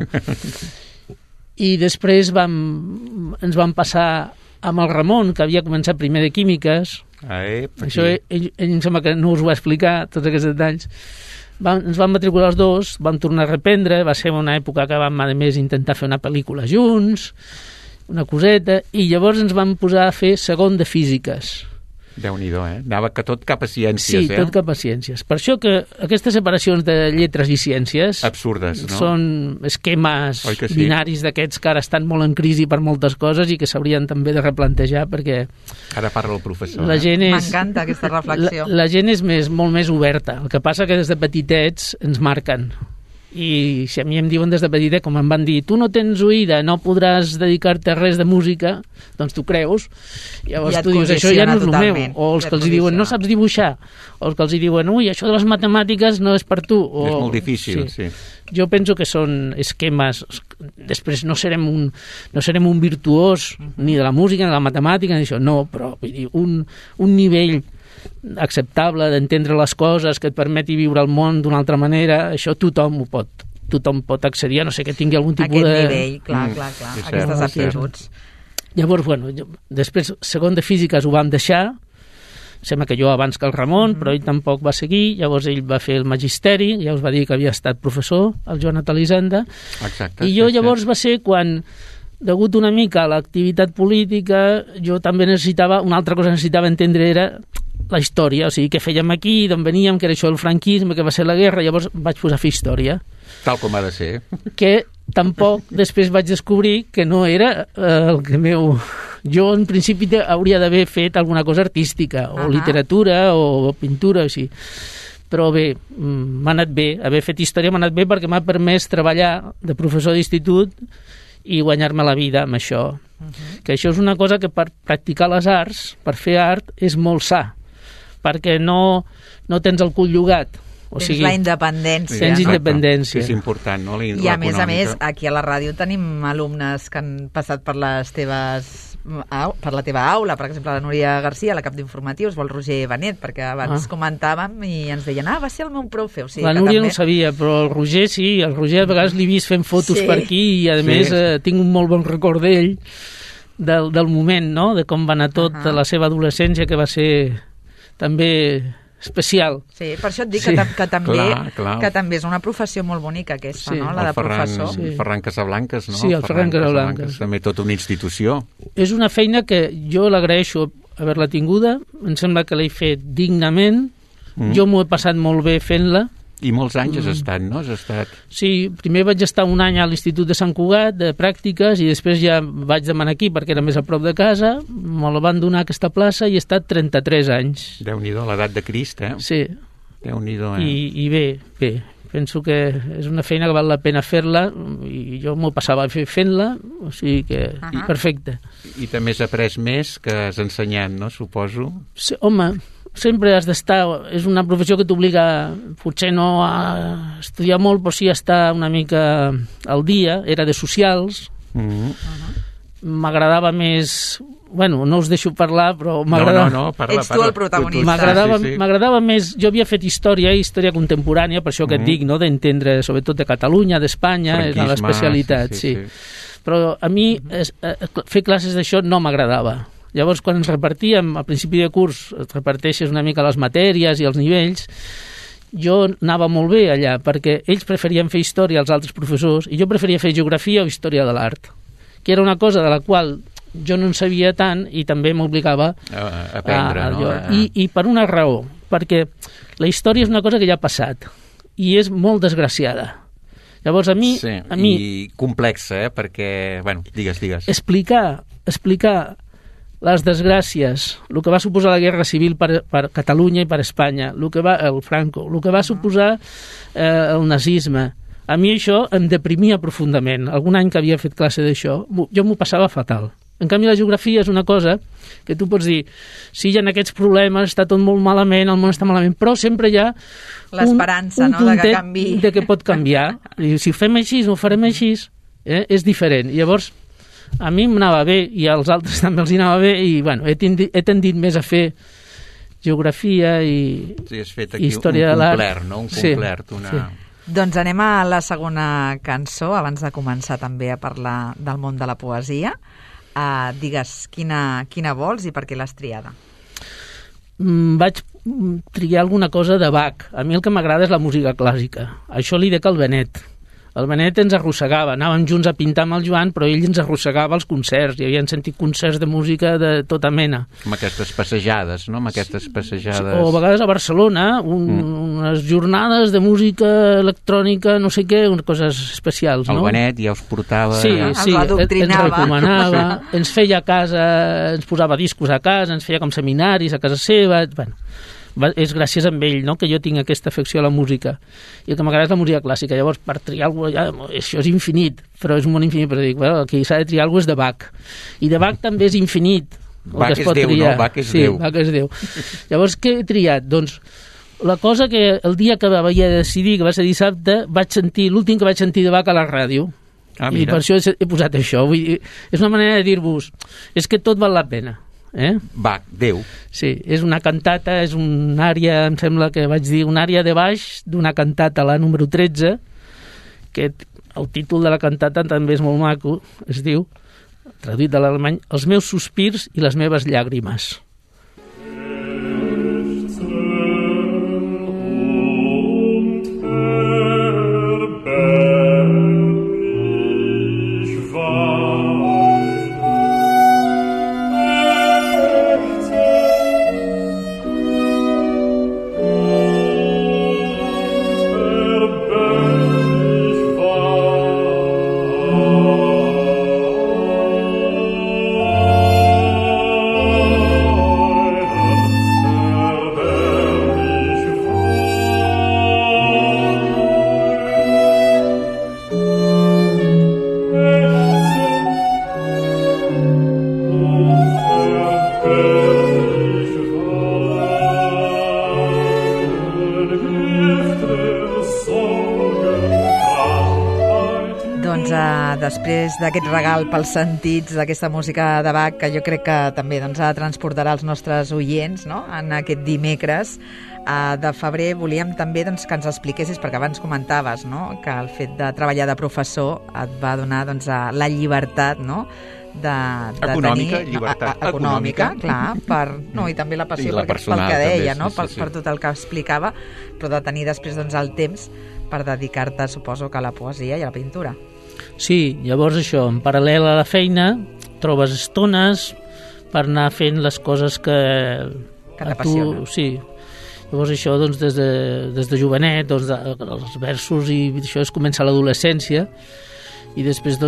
F: I després ens vam passar amb el Ramon, que havia començat primer de químiques. Això ell em sembla que no us ho va explicar, tots aquests detalls. Ens vam matricular els dos, vam tornar a reprendre, va ser una època que vam, a més, intentar fer una pel·lícula junts, una coseta, i llavors ens vam posar a fer segon de físiques.
D: Déu-n'hi-do, anava tot cap a ciències,
F: Sí, tot cap a ciències. Per això que aquestes separacions de lletres i ciències...
D: Absurdes, no?
F: Són esquemes binaris d'aquests que ara estan molt en crisi per moltes coses i que s'haurien també de replantejar perquè...
D: Ara parla el professor.
C: M'encanta aquesta reflexió.
F: La gent és molt més oberta. El que passa que des de petitets ens marquen. I si a mi em diuen des de petitet, com em van dir, tu no tens oïda, no podràs dedicar-te a res de música, doncs tu creus, llavors tu dius, això ja no és el meu, o els que els diuen, no saps dibuixar, o els que els diuen, ui, això de les matemàtiques no és per tu.
D: És molt difícil, sí.
F: Jo penso que són esquemes, després no serem un virtuós ni de la música, ni de la matemàtica, ni això, no, però vull dir, un nivell acceptable d'entendre les coses que et permeti viure el món d'una altra manera, això tothom pot accedir, a no sé que tingui algun tipus
C: aquest nivell, clar, aquestes aptituds.
F: Llavors, bueno, després, segon de físiques ho vam deixar, sembla que jo abans que el Ramon, però ell tampoc va seguir, llavors ell va fer el magisteri, ja us va dir que havia estat professor, el Joan Atalisanda, i jo llavors va ser quan, degut una mica a l'activitat política, jo també necessitava, una altra cosa que necessitava entendre era la història, o sigui, què fèiem aquí, d'on veníem, que era això del franquisme, que va ser la guerra, llavors vaig posar a fer història.
D: Tal com ha de ser.
F: Que tampoc després vaig descobrir que no era el que meu... Jo, en principi, hauria d'haver fet alguna cosa artística, o literatura, o pintura, o així. Però bé, m'ha anat bé. Haver fet història m'ha anat bé perquè m'ha permès treballar de professor d'institut i guanyar-me la vida amb això. Que això és una cosa que per practicar les arts, per fer art, és molt sa, perquè no tens el cul llogat. O sigui,
C: la independència.
F: Tens independència.
D: És important, no?
C: I a més, aquí a la ràdio tenim alumnes que han passat per la teva aula, per exemple, la Núria Garcia, la cap d'informatius, o el Roger Benet, perquè abans comentàvem i ens deien, va ser el meu profe. O sigui,
F: la Núria no ho sabia, però el Roger sí, el Roger a vegades l'he vist fent fotos per aquí i a més tinc un molt bon record d'ell, del moment, no?, de com va anar tot, de la seva adolescència, que va ser també especial.
C: Sí, per això et dic que també és una professió molt bonica aquesta, no?, la de professor.
D: El Ferran Casablancas, no?
F: Sí, el Ferran Casablancas.
D: També tota una institució.
F: És una feina que jo l'agraeixo haver-la tinguda, em sembla que l'he fet dignament, jo m'ho he passat molt bé fent-la.
D: I molts anys has estat, no?
F: Sí, primer vaig estar un any a l'Institut de Sant Cugat, de pràctiques, i després ja vaig demanar aquí perquè era més a prop de casa, me la van donar aquesta plaça i he estat 33 anys.
D: Déu-n'hi-do, l'edat de Crist,
F: Sí.
D: Déu-n'hi-do,
F: I bé, penso que és una feina que val la pena fer-la, i jo m'ho passava fent-la, o sigui que perfecte.
D: I també has après més que has ensenyat, no? Suposo.
F: Sí, home, sempre has d'estar, és una professió que t'obliga potser no a estudiar molt, però sí a estar una mica al dia. Era de socials, m'agradava més bueno, no us deixo parlar, però m'agradava...
D: No, parla.
C: Ets tu el protagonista.
F: M'agradava més... Jo havia fet història contemporània, per això que et dic, no?, d'entendre, sobretot de Catalunya, d'Espanya, és l'especialitat, sí. Però a mi fer classes d'això no m'agradava. Llavors, quan ens repartíem, al principi de curs, et reparteixes una mica les matèries i els nivells, jo anava molt bé allà, perquè ells preferien fer història als altres professors i jo preferia fer geografia o història de l'art, que era una cosa de la qual jo no en sabia tant i també m'obligava
D: a aprendre, no?
F: I per una raó, perquè la història és una cosa que ja ha passat i és molt desgraciada. Llavors, a mi...
D: I complexa, perquè... Bueno, digues.
F: Explicar les desgràcies, el que va suposar la Guerra Civil per Catalunya i per Espanya, el Franco, el que va suposar el nazisme. A mi això em deprimia profundament. Algun any que havia fet classe d'això, jo m'ho passava fatal. En canvi, la geografia és una cosa que tu pots dir, sí, hi ha aquests problemes, està tot molt malament, el món està malament, però sempre hi ha
C: l'esperança, no?, de que canvi.
F: De que pot canviar. I si ho fem així, ho farem així, és diferent. Llavors, a mi m'anava bé i als altres també els anava bé i, bueno, he tendit més a fer geografia i història de l'art.
D: Un complet,
F: Sí.
C: Doncs anem a la segona cançó, abans de començar també a parlar del món de la poesia. Digues quina vols i per què l'has triada.
F: Vaig triar alguna cosa de Bach. A mi el que m'agrada és la música clàssica. Això li dec al Benet. El Benet ens arrossegava, anàvem junts a pintar amb el Joan, però ell ens arrossegava als concerts, i havien sentit concerts de música de tota mena.
D: Amb aquestes passejades, no? O
F: a vegades a Barcelona, unes jornades de música electrònica, no sé què, coses especials, no?
D: El Benet ja us portava...
F: Sí, ens recomanava, ens feia a casa, ens posava discos a casa, ens feia com seminaris a casa seva, bueno... És gràcies a ell, no?, que jo tinc aquesta afecció a la música i el que m'agrada és la música clàssica. Llavors, per triar alguna cosa, això és infinit, però és un món infinit, però dic, bueno, aquí s'ha de triar alguna cosa és de Bach, i de Bach també és infinit
D: Bach és Déu, no? Bach és Déu.
F: Bach és Déu. Llavors, què he triat? Doncs la cosa que el dia que vaig decidir, que va ser dissabte, l'últim que vaig sentir de Bach a la ràdio, i per això he posat això. Vull dir, és una manera de dir-vos, és que tot val la pena.
D: Bach, Déu.
F: Sí, és una cantata, és una àrea, em sembla que vaig dir, una àrea de baix d'una cantata, la número 13, que el títol de la cantata també és molt maco, es diu, traduït de l'alemany, Els meus sospirs i les meves llàgrimes. Després d'aquest regal pels sentits d'aquesta música de Bach, que jo crec que també ha de transportar els nostres oients, no?, en aquest dimecres de febrer, volíem també que ens expliquessis, perquè abans comentaves, no?, que el fet de treballar de professor et va donar la llibertat, no?, de
D: econòmica,
F: tenir...
D: llibertat
F: econòmica,
C: clar, i també la passió pel que deia, no?, per tot el que explicava, però de tenir després el temps per dedicar-te, suposo, que a la poesia i a la pintura.
F: Sí, llavors això, en paral·lel a la feina, trobes estones per anar fent les coses que
C: t'apassionen.
F: Sí. Llavors això, des de jovenet, els versos i això es comença a l'adolescència i després,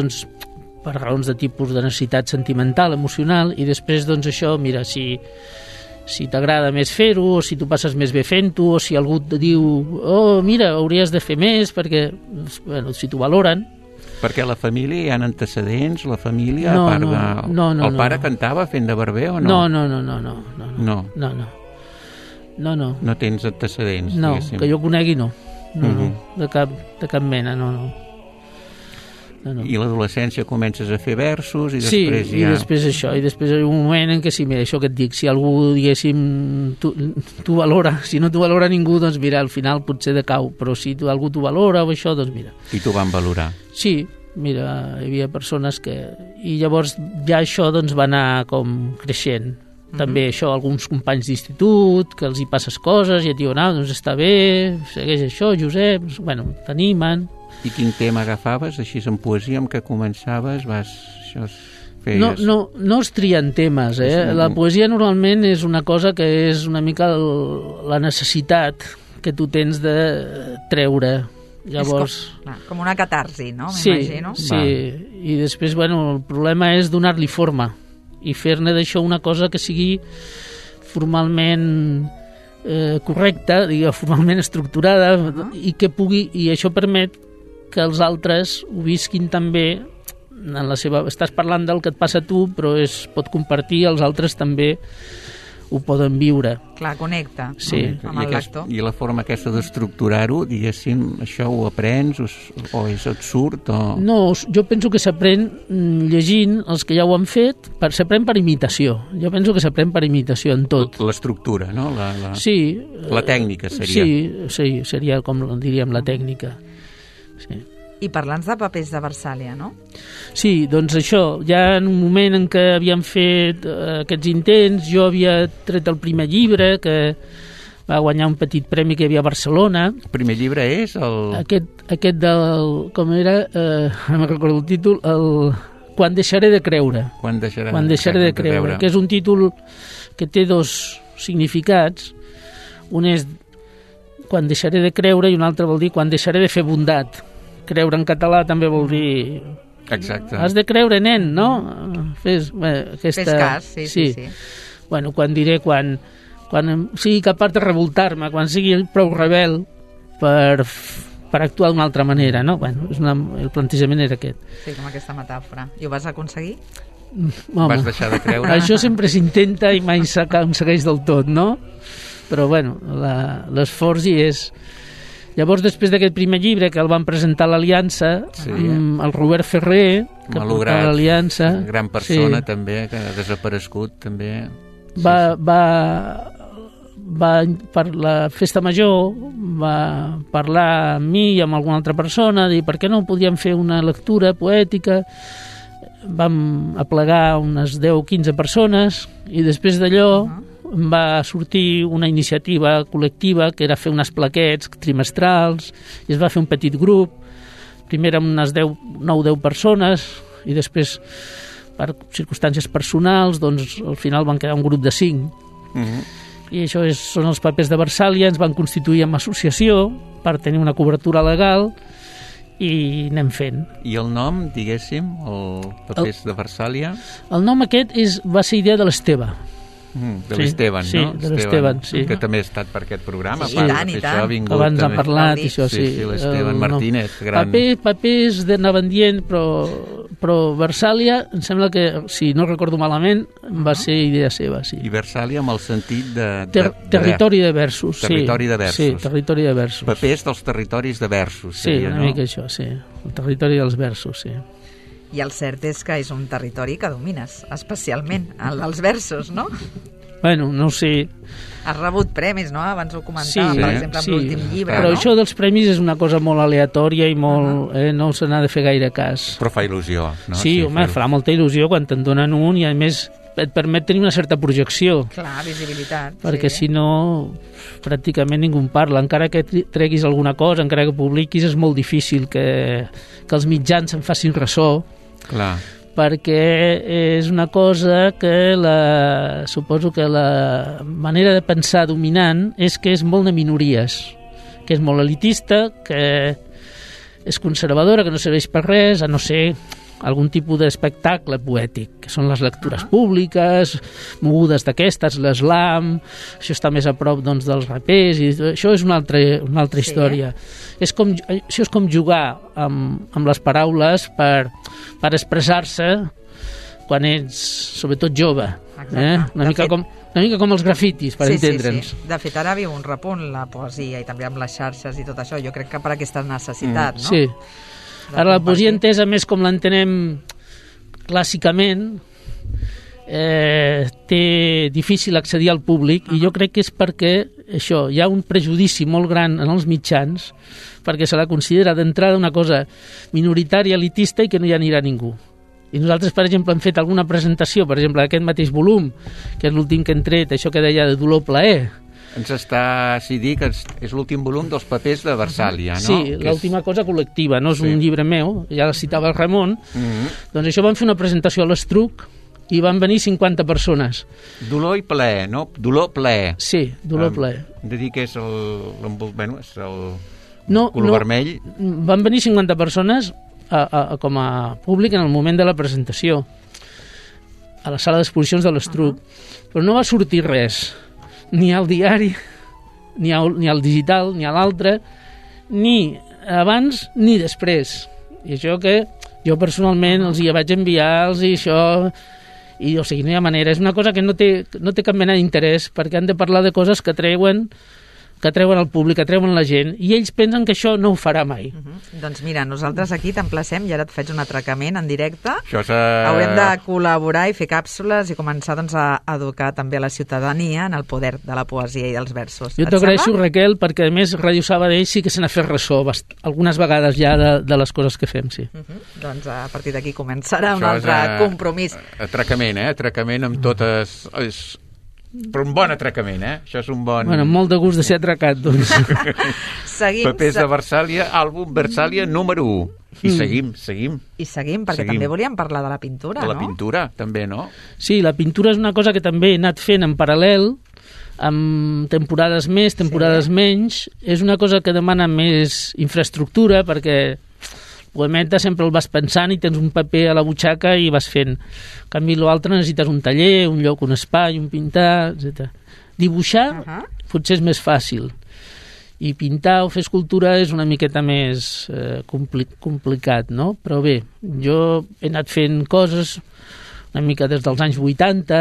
F: per raons de tipus de necessitat sentimental, emocional, i després, això, mira, si t'agrada més fer-ho, o si tu passes més bé fent-ho, o si algú et diu, oh, mira, hauries de fer més, perquè, bueno, si t'ho valoren.
D: Perquè la família hi ha antecedents, la família, a part de... El pare cantava fent de barber o no? No. No tens antecedents,
F: diguéssim. No, que jo conegui no. De cap mena, no. No.
D: I l'adolescència comences a fer versos i després
F: i després això, i després hi ha un moment en què sí, mira, això que et dic, si algú, diguéssim, tu valora, si no t'ho valora ningú, doncs mira, al final potser decau, però si algú t'ho valora o això, doncs mira.
D: I t'ho van valorar?
F: Sí, mira, hi havia persones que... I llavors ja això doncs va anar com creixent. També això, alguns companys d'institut, que els hi passes coses i et diuen, doncs està bé, segueix això, Josep, bueno, t'animen.
D: I quin tema agafaves, així en poesia, amb què començaves, feies...
F: No es trien temes, La poesia normalment és una cosa que és una mica la necessitat que tu tens de treure. Llavors...
C: com una catarsi, no? M'imagino.
F: Sí, i després, bueno, el problema és donar-li forma i fer-ne d'això una cosa que sigui formalment correcta, formalment estructurada, i que pugui, i això permet que els altres ho visquin també en la seva... Estàs parlant del que et passa a tu, però es pot compartir, els altres també ho poden viure.
C: Clar, connecta
F: amb
C: el lector.
D: I la forma aquesta d'estructurar-ho, diguéssim, això ho aprens o et surt?
F: No, jo penso que s'aprèn llegint els que ja ho han fet, s'aprèn per imitació. Jo penso que s'aprèn per imitació en tot.
D: L'estructura, no?
F: Sí.
D: La tècnica seria.
F: Sí, seria com diríem la tècnica. Sí.
C: I parlant de papers de Versàlia, no?
F: Sí, doncs això, ja en un moment en què havíem fet aquests intents, jo havia tret el primer llibre, que va guanyar un petit premi que hi havia a Barcelona.
D: El primer llibre és el...
F: Aquest del... com era? No me'n recordo el títol, Quan deixaré de creure.
D: Quan deixaré
F: de creure, que és un títol que té dos significats. Un és Quan deixaré de creure i un altre vol dir Quan deixaré de fer bondat. Creure en català també vol dir...
D: Exacte.
F: Has de creure, nen, no? Fes
C: cas, sí.
F: Bueno, quan sigui capaç de revoltar-me, quan sigui prou rebel per actuar d'una altra manera, no? Bueno, el plantejament era aquest.
C: Sí, com aquesta metàfora. I ho vas aconseguir?
F: Home,
D: vas deixar de creure?
F: Això sempre s'intenta i mai s'aconsegueix del tot, no? Però, bueno, l'esforç hi és... Llavors, després d'aquest primer llibre, que el van presentar a l'Aliança, el Robert Ferrer, que portava l'Aliança...
D: Gran persona, també, que ha desaparegut, també...
F: Per la festa major, va parlar amb mi i amb alguna altra persona, dir per què no podíem fer una lectura poètica. Vam aplegar unes 10 o 15 persones i després d'allò... va sortir una iniciativa col·lectiva que era fer unes plaquets trimestrals i es va fer un petit grup, primer amb unes 9 o 10 persones i després per circumstàncies personals doncs al final van quedar un grup de 5 i això són els papers de Versàlia. Ens van constituir en associació per tenir una cobertura legal i anem fent.
D: I el nom, diguéssim, el papers de Versàlia?
F: El nom aquest va ser idea de l'Esteve.
D: De l'Esteban, no?
F: Sí, de l'Esteban, sí.
D: Que també ha estat per aquest programa.
C: Sí, i tant.
F: Abans han parlat, això sí.
D: Sí, l'Esteban Martínez.
F: Papers anaven dient, però Versàlia, em sembla que, si no recordo malament, va ser idea seva, sí.
D: I Versàlia amb el sentit de...
F: Territori de versos, sí.
D: Territori de versos.
F: Sí, territori de versos.
D: Papers dels territoris de versos.
F: Sí, una mica això, sí. El territori dels versos, sí.
C: I el cert és que és un territori que domines, especialment, el dels versos, no?
F: Bueno, no ho sé.
C: Has rebut premis, no? Abans ho comentàvem, per exemple, amb l'últim llibre,
F: però
C: no?
F: Això dels premis és una cosa molt aleatòria i molt... no se n'ha de fer gaire cas.
D: Però fa il·lusió, no?
F: Sí, home, farà molta il·lusió quan te'n donen un i, a més, et permet tenir una certa projecció.
C: Clar, visibilitat.
F: Perquè si no, pràcticament ningú en parla. Encara que treguis alguna cosa, encara que publiquis, és molt difícil que els mitjans se'n facin ressò.
D: Clar.
F: Perquè és una cosa que suposo que la manera de pensar dominant és que és molt de minories, que és molt elitista, que és conservadora, que no serveix per res, a no ser algun tipus d'espectacle poètic, que són les lectures públiques, mogudes d'aquestes, l'eslam, això està més a prop doncs, dels rapers, i això és una altra història. Això és com jugar amb les paraules per expressar-se quan ets, sobretot, jove. Una mica com els grafitis, per entendre'ns.
C: Sí. De fet, ara viu un repunt la poesia i també amb les xarxes i tot això. Jo crec que per aquesta necessitat, no?
F: Sí. Ara la poesia entesa més com l'entenem clàssicament té difícil accedir al públic i jo crec que és perquè això, hi ha un prejudici molt gran en els mitjans perquè se la considera d'entrada una cosa minoritària, elitista i que no hi anirà ningú. I nosaltres, per exemple, hem fet alguna presentació, per exemple, d'aquest mateix volum, que és l'últim que hem tret, això que deia de dolor plaer.
D: Ens està si dir que és l'últim volum dels papers de Versàlia, no?
F: Sí, l'última cosa col·lectiva, no és un llibre meu, ja la citava el Ramon, doncs això vam fer una presentació a l'Estruc i van venir 50 persones.
D: Dolor i plaer, no? Dolor, plaer.
F: Sí, dolor, plaer.
D: Hem de dir que és el color vermell.
F: Van venir 50 persones com a públic en el moment de la presentació a la sala d'exposicions de l'Estruc, però no va sortir res, ni al diari, ni al digital, ni a l'altre, ni abans ni després. I això que jo personalment els hi vaig enviar-los i això... I, o sigui, no hi ha manera. És una cosa que no té cap mena d'interès perquè han de parlar de coses que treuen al públic, que treuen la gent, i ells pensen que això no ho farà mai.
C: Doncs mira, nosaltres aquí t'emplacem i ara et faig un atracament en directe. Haurem de col·laborar i fer càpsules i començar doncs, a educar també a la ciutadania en el poder de la poesia i dels versos.
F: Jo t'agraeixo, Raquel, perquè a més Ràdio Sabadell sí que se n'ha fet ressò algunes vegades ja de les coses que fem, sí.
C: Doncs a partir d'aquí començarà un altre compromís.
D: Atracament, atracament amb totes... Però un bon atracament, Això és un bon...
F: Bueno, molt de gust de ser atracat, doncs.
D: Papers de Versàlia, àlbum Versàlia número 1. I seguim.
C: I seguim, perquè també volíem parlar de la pintura, no?
D: De la pintura, també, no?
F: Sí, la pintura és una cosa que també he anat fent en paral·lel, amb temporades més, temporades menys. És una cosa que demana més infraestructura, perquè... poemeta sempre el vas pensant i tens un paper a la butxaca i vas fent. En canvi, l'altre necessites un taller, un lloc, un espai, un pintar, etc. Dibuixar potser és més fàcil. I pintar o fer escultura és una miqueta més complicat, no? Però bé, jo he anat fent coses una mica des dels anys 80.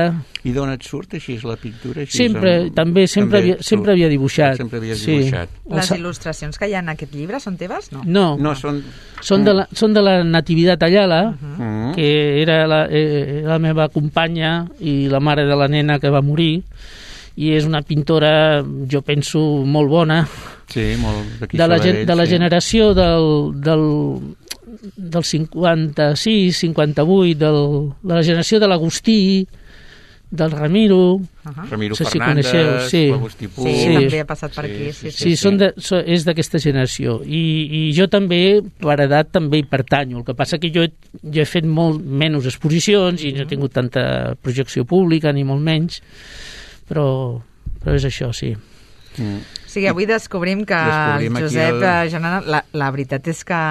D: I d'on et surt així la pintura?
F: Sempre havia dibuixat.
D: Sempre havies dibuixat.
C: Les il·lustracions que hi ha en aquest llibre són teves?
F: No, són de la Natividad Ayala, que era la meva companya i la mare de la nena que va morir, i és una pintora, jo penso, molt bona.
D: Sí, molt d'aquí
F: de la generació del 56, 58, de la generació de l'Agustí, del Ramiro,
D: Ramiro
F: no sé
D: Fernández,
F: si coneixeu,
C: Agustí Puig. Sí, també ha passat per aquí.
F: Sí, és d'aquesta generació. I jo també, per edat, també hi pertanyo. El que passa que jo he fet molt menys exposicions i no he tingut tanta projecció pública, ni molt menys, però és això, sí.
C: O sigui, avui descobrim que el Josep Girona, la veritat és que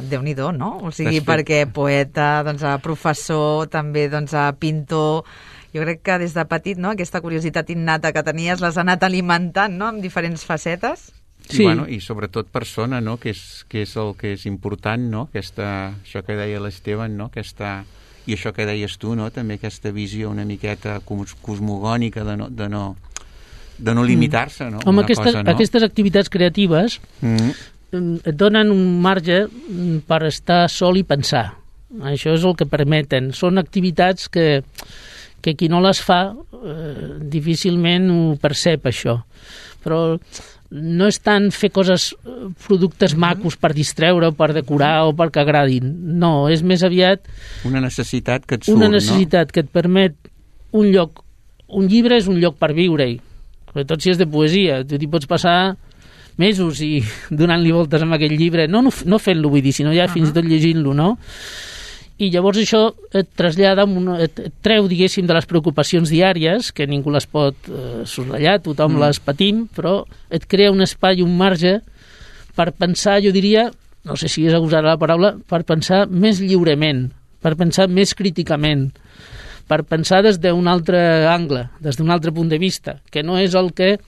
C: Déu-n'hi-do, no? O sigui, perquè poeta, doncs, professor, també doncs, pintor... Jo crec que des de petit, no?, aquesta curiositat innata que tenies l'has anat alimentant, no?, amb diferents facetes.
F: Sí.
D: I sobretot persona, no?, que és el que és important, no?, això que deia l'Esteban, no?, i això que deies tu, no?, també aquesta visió una miqueta cosmogònica de no limitar-se, no?
F: Home, aquestes activitats creatives et donen un marge per estar sol i pensar. Això és el que permeten. Són activitats que qui no les fa difícilment ho percep, això. Però no és tant fer productes macos per distreure o per decorar o perquè agradin. No, és més aviat...
D: Una necessitat que et surt,
F: Una necessitat que et permet un lloc. Un llibre és un lloc per viure-hi. Sobretot si és de poesia. Tu t'hi pots passar mesos i donant-li voltes amb aquell llibre. No fent-lo, vull dir, sinó ja fins i tot llegint-lo, no? I llavors això et trasllada, et treu, diguéssim, de les preocupacions diàries, que ningú les pot soslayar, tothom les patim, però et crea un espai, un marge per pensar, jo diria, no sé si és agosar la paraula, per pensar més lliurement, per pensar més críticament, per pensar des d'un altre angle, des d'un altre punt de vista, que no és el que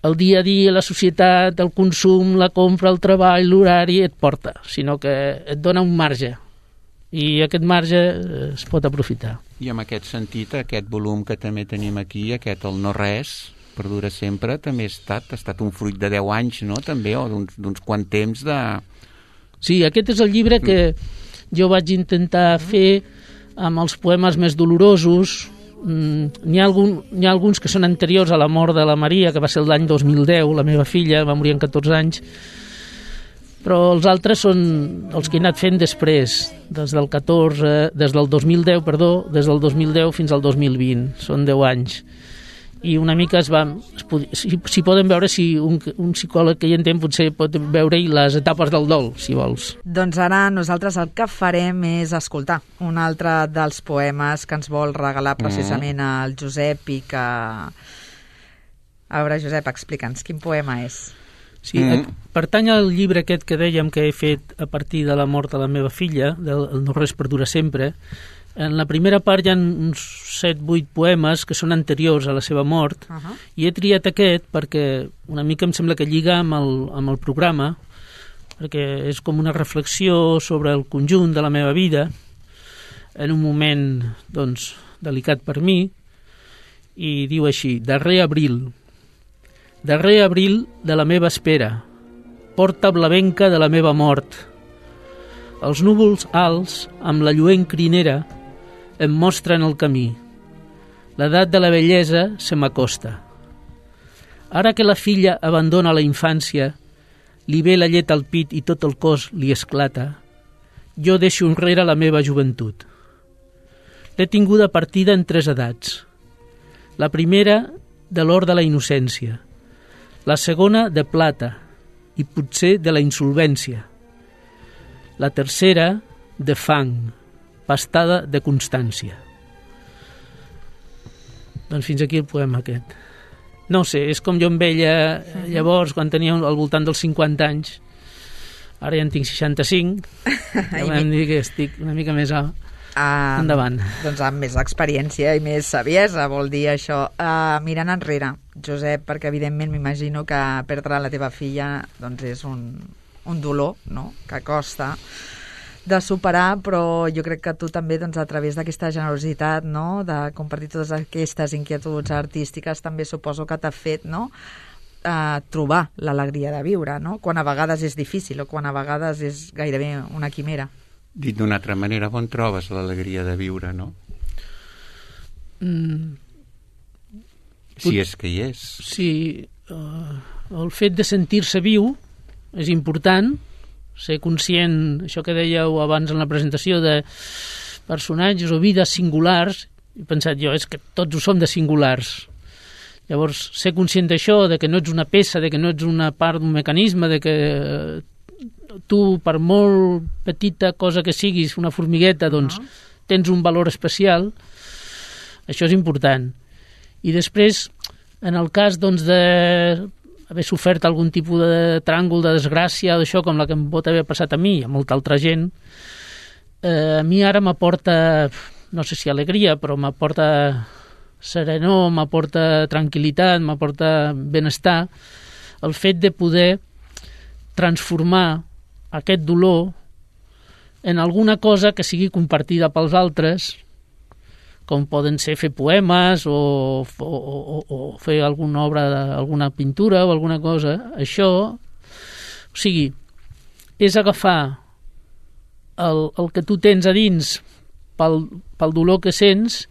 F: el dia a dia, la societat, el consum, la compra, el treball, l'horari et porta, sinó que et dona un marge. I aquest marge es pot aprofitar.
D: I en aquest sentit, aquest volum que també tenim aquí, aquest El no res, perdura sempre, també ha estat un fruit de 10 anys, no?, també, o d'uns quant temps
F: Sí, aquest és el llibre que jo vaig intentar fer amb els poemes més dolorosos. N'hi ha alguns que són anteriors a la mort de la Maria, que va ser l'any 2010, la meva filla va morir amb 14 anys, però els altres són els que he anat fent després, des del 2010, des del 2010 fins al 2020, són 10 anys. I una mica si poden veure, si un psicòleg que hi entén potser pot veure-hi les etapes del dol, si vols.
C: Doncs ara nosaltres el que farem és escoltar un altre dels poemes que ens vol regalar precisament el Josep i que... A veure, Josep, explica'ns, quin poema és?
F: Sí, pertany al llibre aquest que dèiem que he fet a partir de la mort de la meva filla, del No res perdura sempre. En la primera part hi ha uns 7-8 poemes que són anteriors a la seva mort, i he triat aquest perquè una mica em sembla que lliga amb el programa, perquè és com una reflexió sobre el conjunt de la meva vida, en un moment, doncs, delicat per mi, i diu així: darrer abril de la meva espera, porta blavenca de la meva mort. Els núvols alts, amb la lluent crinera, em mostren el camí. L'edat de la bellesa se m'acosta. Ara que la filla abandona la infància, li ve la llet al pit i tot el cos li esclata, jo deixo enrere la meva joventut. L'he tinguda partida en 3 edats. La primera, de l'or de la innocència. La segona, de plata, i potser de la insolvència. La tercera, de fang, pastada de constància. Doncs fins aquí el poema aquest. No sé, és com jo amb ella llavors, quan tenia al voltant dels 50 anys. Ara ja en tinc 65. Ja vam dir que estic una mica més endavant.
C: Doncs amb més experiència i més saviesa, vol dir això. Mirant enrere, Josep, perquè evidentment m'imagino que perdre la teva filla doncs és un dolor, no?, que costa de superar, però jo crec que tu també, doncs, a través d'aquesta generositat, no?, de compartir totes aquestes inquietuds artístiques, també suposo que t'ha fet, no?, trobar l'alegria de viure, no?, quan a vegades és difícil o quan a vegades és gairebé una quimera.
D: Dit d'una altra manera, on trobes l'alegria de viure, no? Si és que hi és.
F: Sí, el fet de sentir-se viu és important, ser conscient, això que dèieu abans en la presentació, de personatges o vides singulars. He pensat jo, és que tots ho som de singulars. Llavors, ser conscient d'això, de que no ets una peça, de que no ets una part d'un mecanisme, de que tu, per molt petita cosa que siguis, una formigueta, doncs tens un valor especial, això és important. I després, en el cas doncs, d'haver sofert algun tipus de tràngol, de desgràcia, d'això, com la que em pot haver passat a mi i a molta altra gent, a mi ara m'aporta, no sé si alegria, però m'aporta serenor, m'aporta tranquil·litat, m'aporta benestar, el fet de poder transformar aquest dolor en alguna cosa que sigui compartida pels altres, com poden ser fer poemes o fer alguna obra, alguna pintura o alguna cosa. Això, o sigui, és agafar el que tu tens a dins pel dolor que sents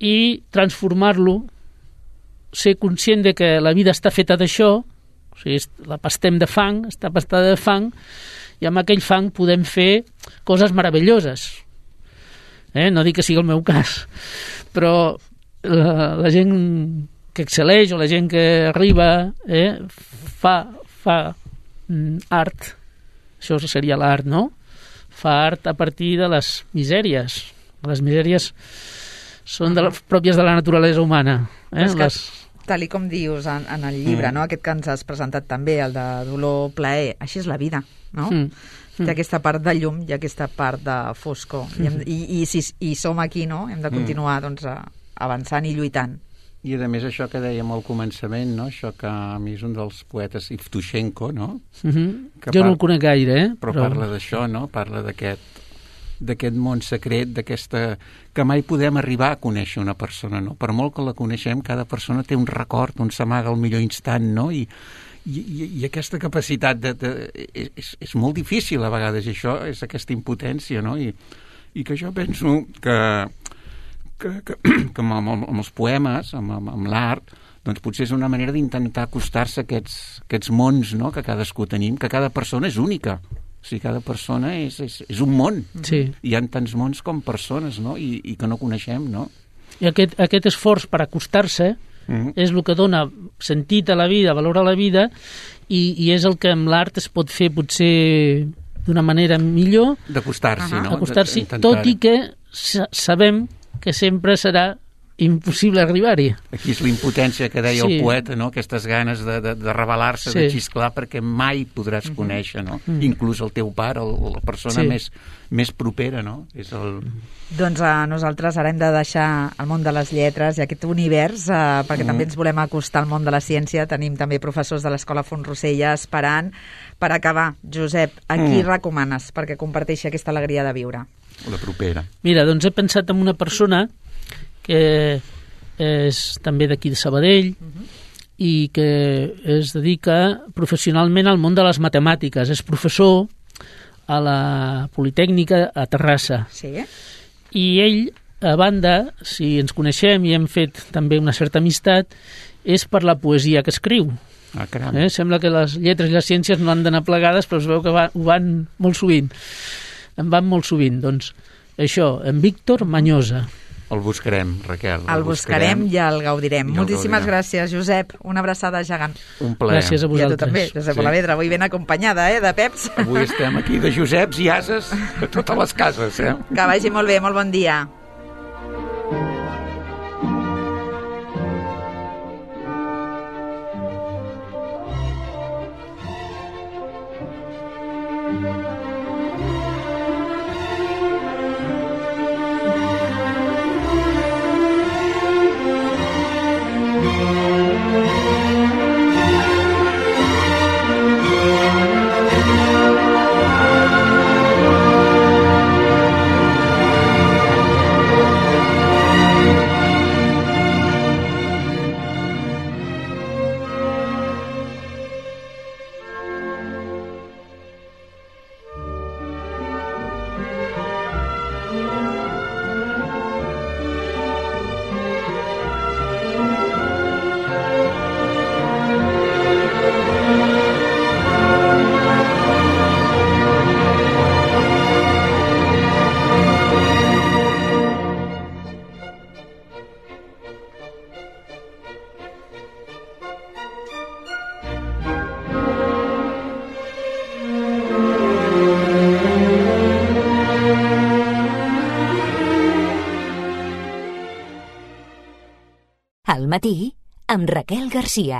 F: i transformar-lo, ser conscient de que la vida està feta d'això, o sigui, la pastem de fang, està pastada de fang, i amb aquell fang podem fer coses meravelloses. No dic que sigui el meu cas, però la gent que excel·leix o la gent que arriba fa art, això seria l'art, no? Fa art a partir de les misèries. Les misèries són pròpies de la naturalesa humana.
C: Tal com dius en el llibre, no? Aquest que ens has presentat també, el de dolor-plaer, així és la vida, no? Hi ha aquesta part de llum i aquesta part de foscor. I si som aquí, no? Hem de continuar doncs, avançant i lluitant.
D: I a més això que dèiem al començament, no? Això que a mi és un dels poetes, Yevtushenko, no?
F: Jo no el conec gaire,
D: però parla d'això, no? Parla d'aquest món secret, que mai podem arribar a conèixer una persona, no? Per molt que la coneixem, cada persona té un record on s'amaga el millor instant, no? I I aquesta capacitat és molt difícil a vegades, i això és aquesta impotència, no? I que jo penso que amb els poemes, amb l'art, doncs potser és una manera d'intentar acostar-se a aquests mons, no?, que cadascú tenim, que cada persona és única. O sigui, cada persona és un món.
F: Sí.
D: Hi ha tants mons com persones, no?, i que no coneixem, no?
F: I aquest esforç per acostar-se és el que dona sentit a la vida, valor a la vida, i és el que amb l'art es pot fer potser d'una manera millor.
D: D'acostar-s'hi, no?
F: Acostar-s'hi, tot i que sabem que sempre serà impossible arribar-hi.
D: Aquí és la impotència que deia el poeta, no? Aquestes ganes de rebel·lar-se, de xisclar, perquè mai podràs conèixer, no? Inclús el teu pare, la persona més propera, no?
C: Doncs nosaltres ara hem de deixar el món de les lletres i aquest univers, perquè també ens volem acostar al món de la ciència. Tenim també professors de l'Escola Font Rosella esperant. Per acabar, Josep, a qui recomanes perquè comparteixi aquesta alegria de viure?
D: La propera.
F: Mira, doncs he pensat en una persona que és també d'aquí de Sabadell i que es dedica professionalment al món de les matemàtiques. És professor a la Politècnica a Terrassa.
C: Sí.
F: I ell, a banda, si ens coneixem i hem fet també una certa amistat, és per la poesia que escriu.
D: Ah, caram.
F: Sembla que les lletres i les ciències no han d'anar plegades, però es veu que ho van molt sovint. En van molt sovint. Doncs això, en Víctor Mañosa.
D: El buscarem, Raquel.
C: El buscarem i el gaudirem. Moltíssimes gràcies, Josep. Una abraçada gegant.
D: Un plaer.
F: Gràcies a vosaltres.
C: I a tu també, Josep Olavedra. Avui ben acompanyada, de peps.
D: Avui estem aquí de Joseps i ases a totes les cases,
C: Que vagi molt bé, molt bon dia.
A: Al matí, amb Raquel Garcia.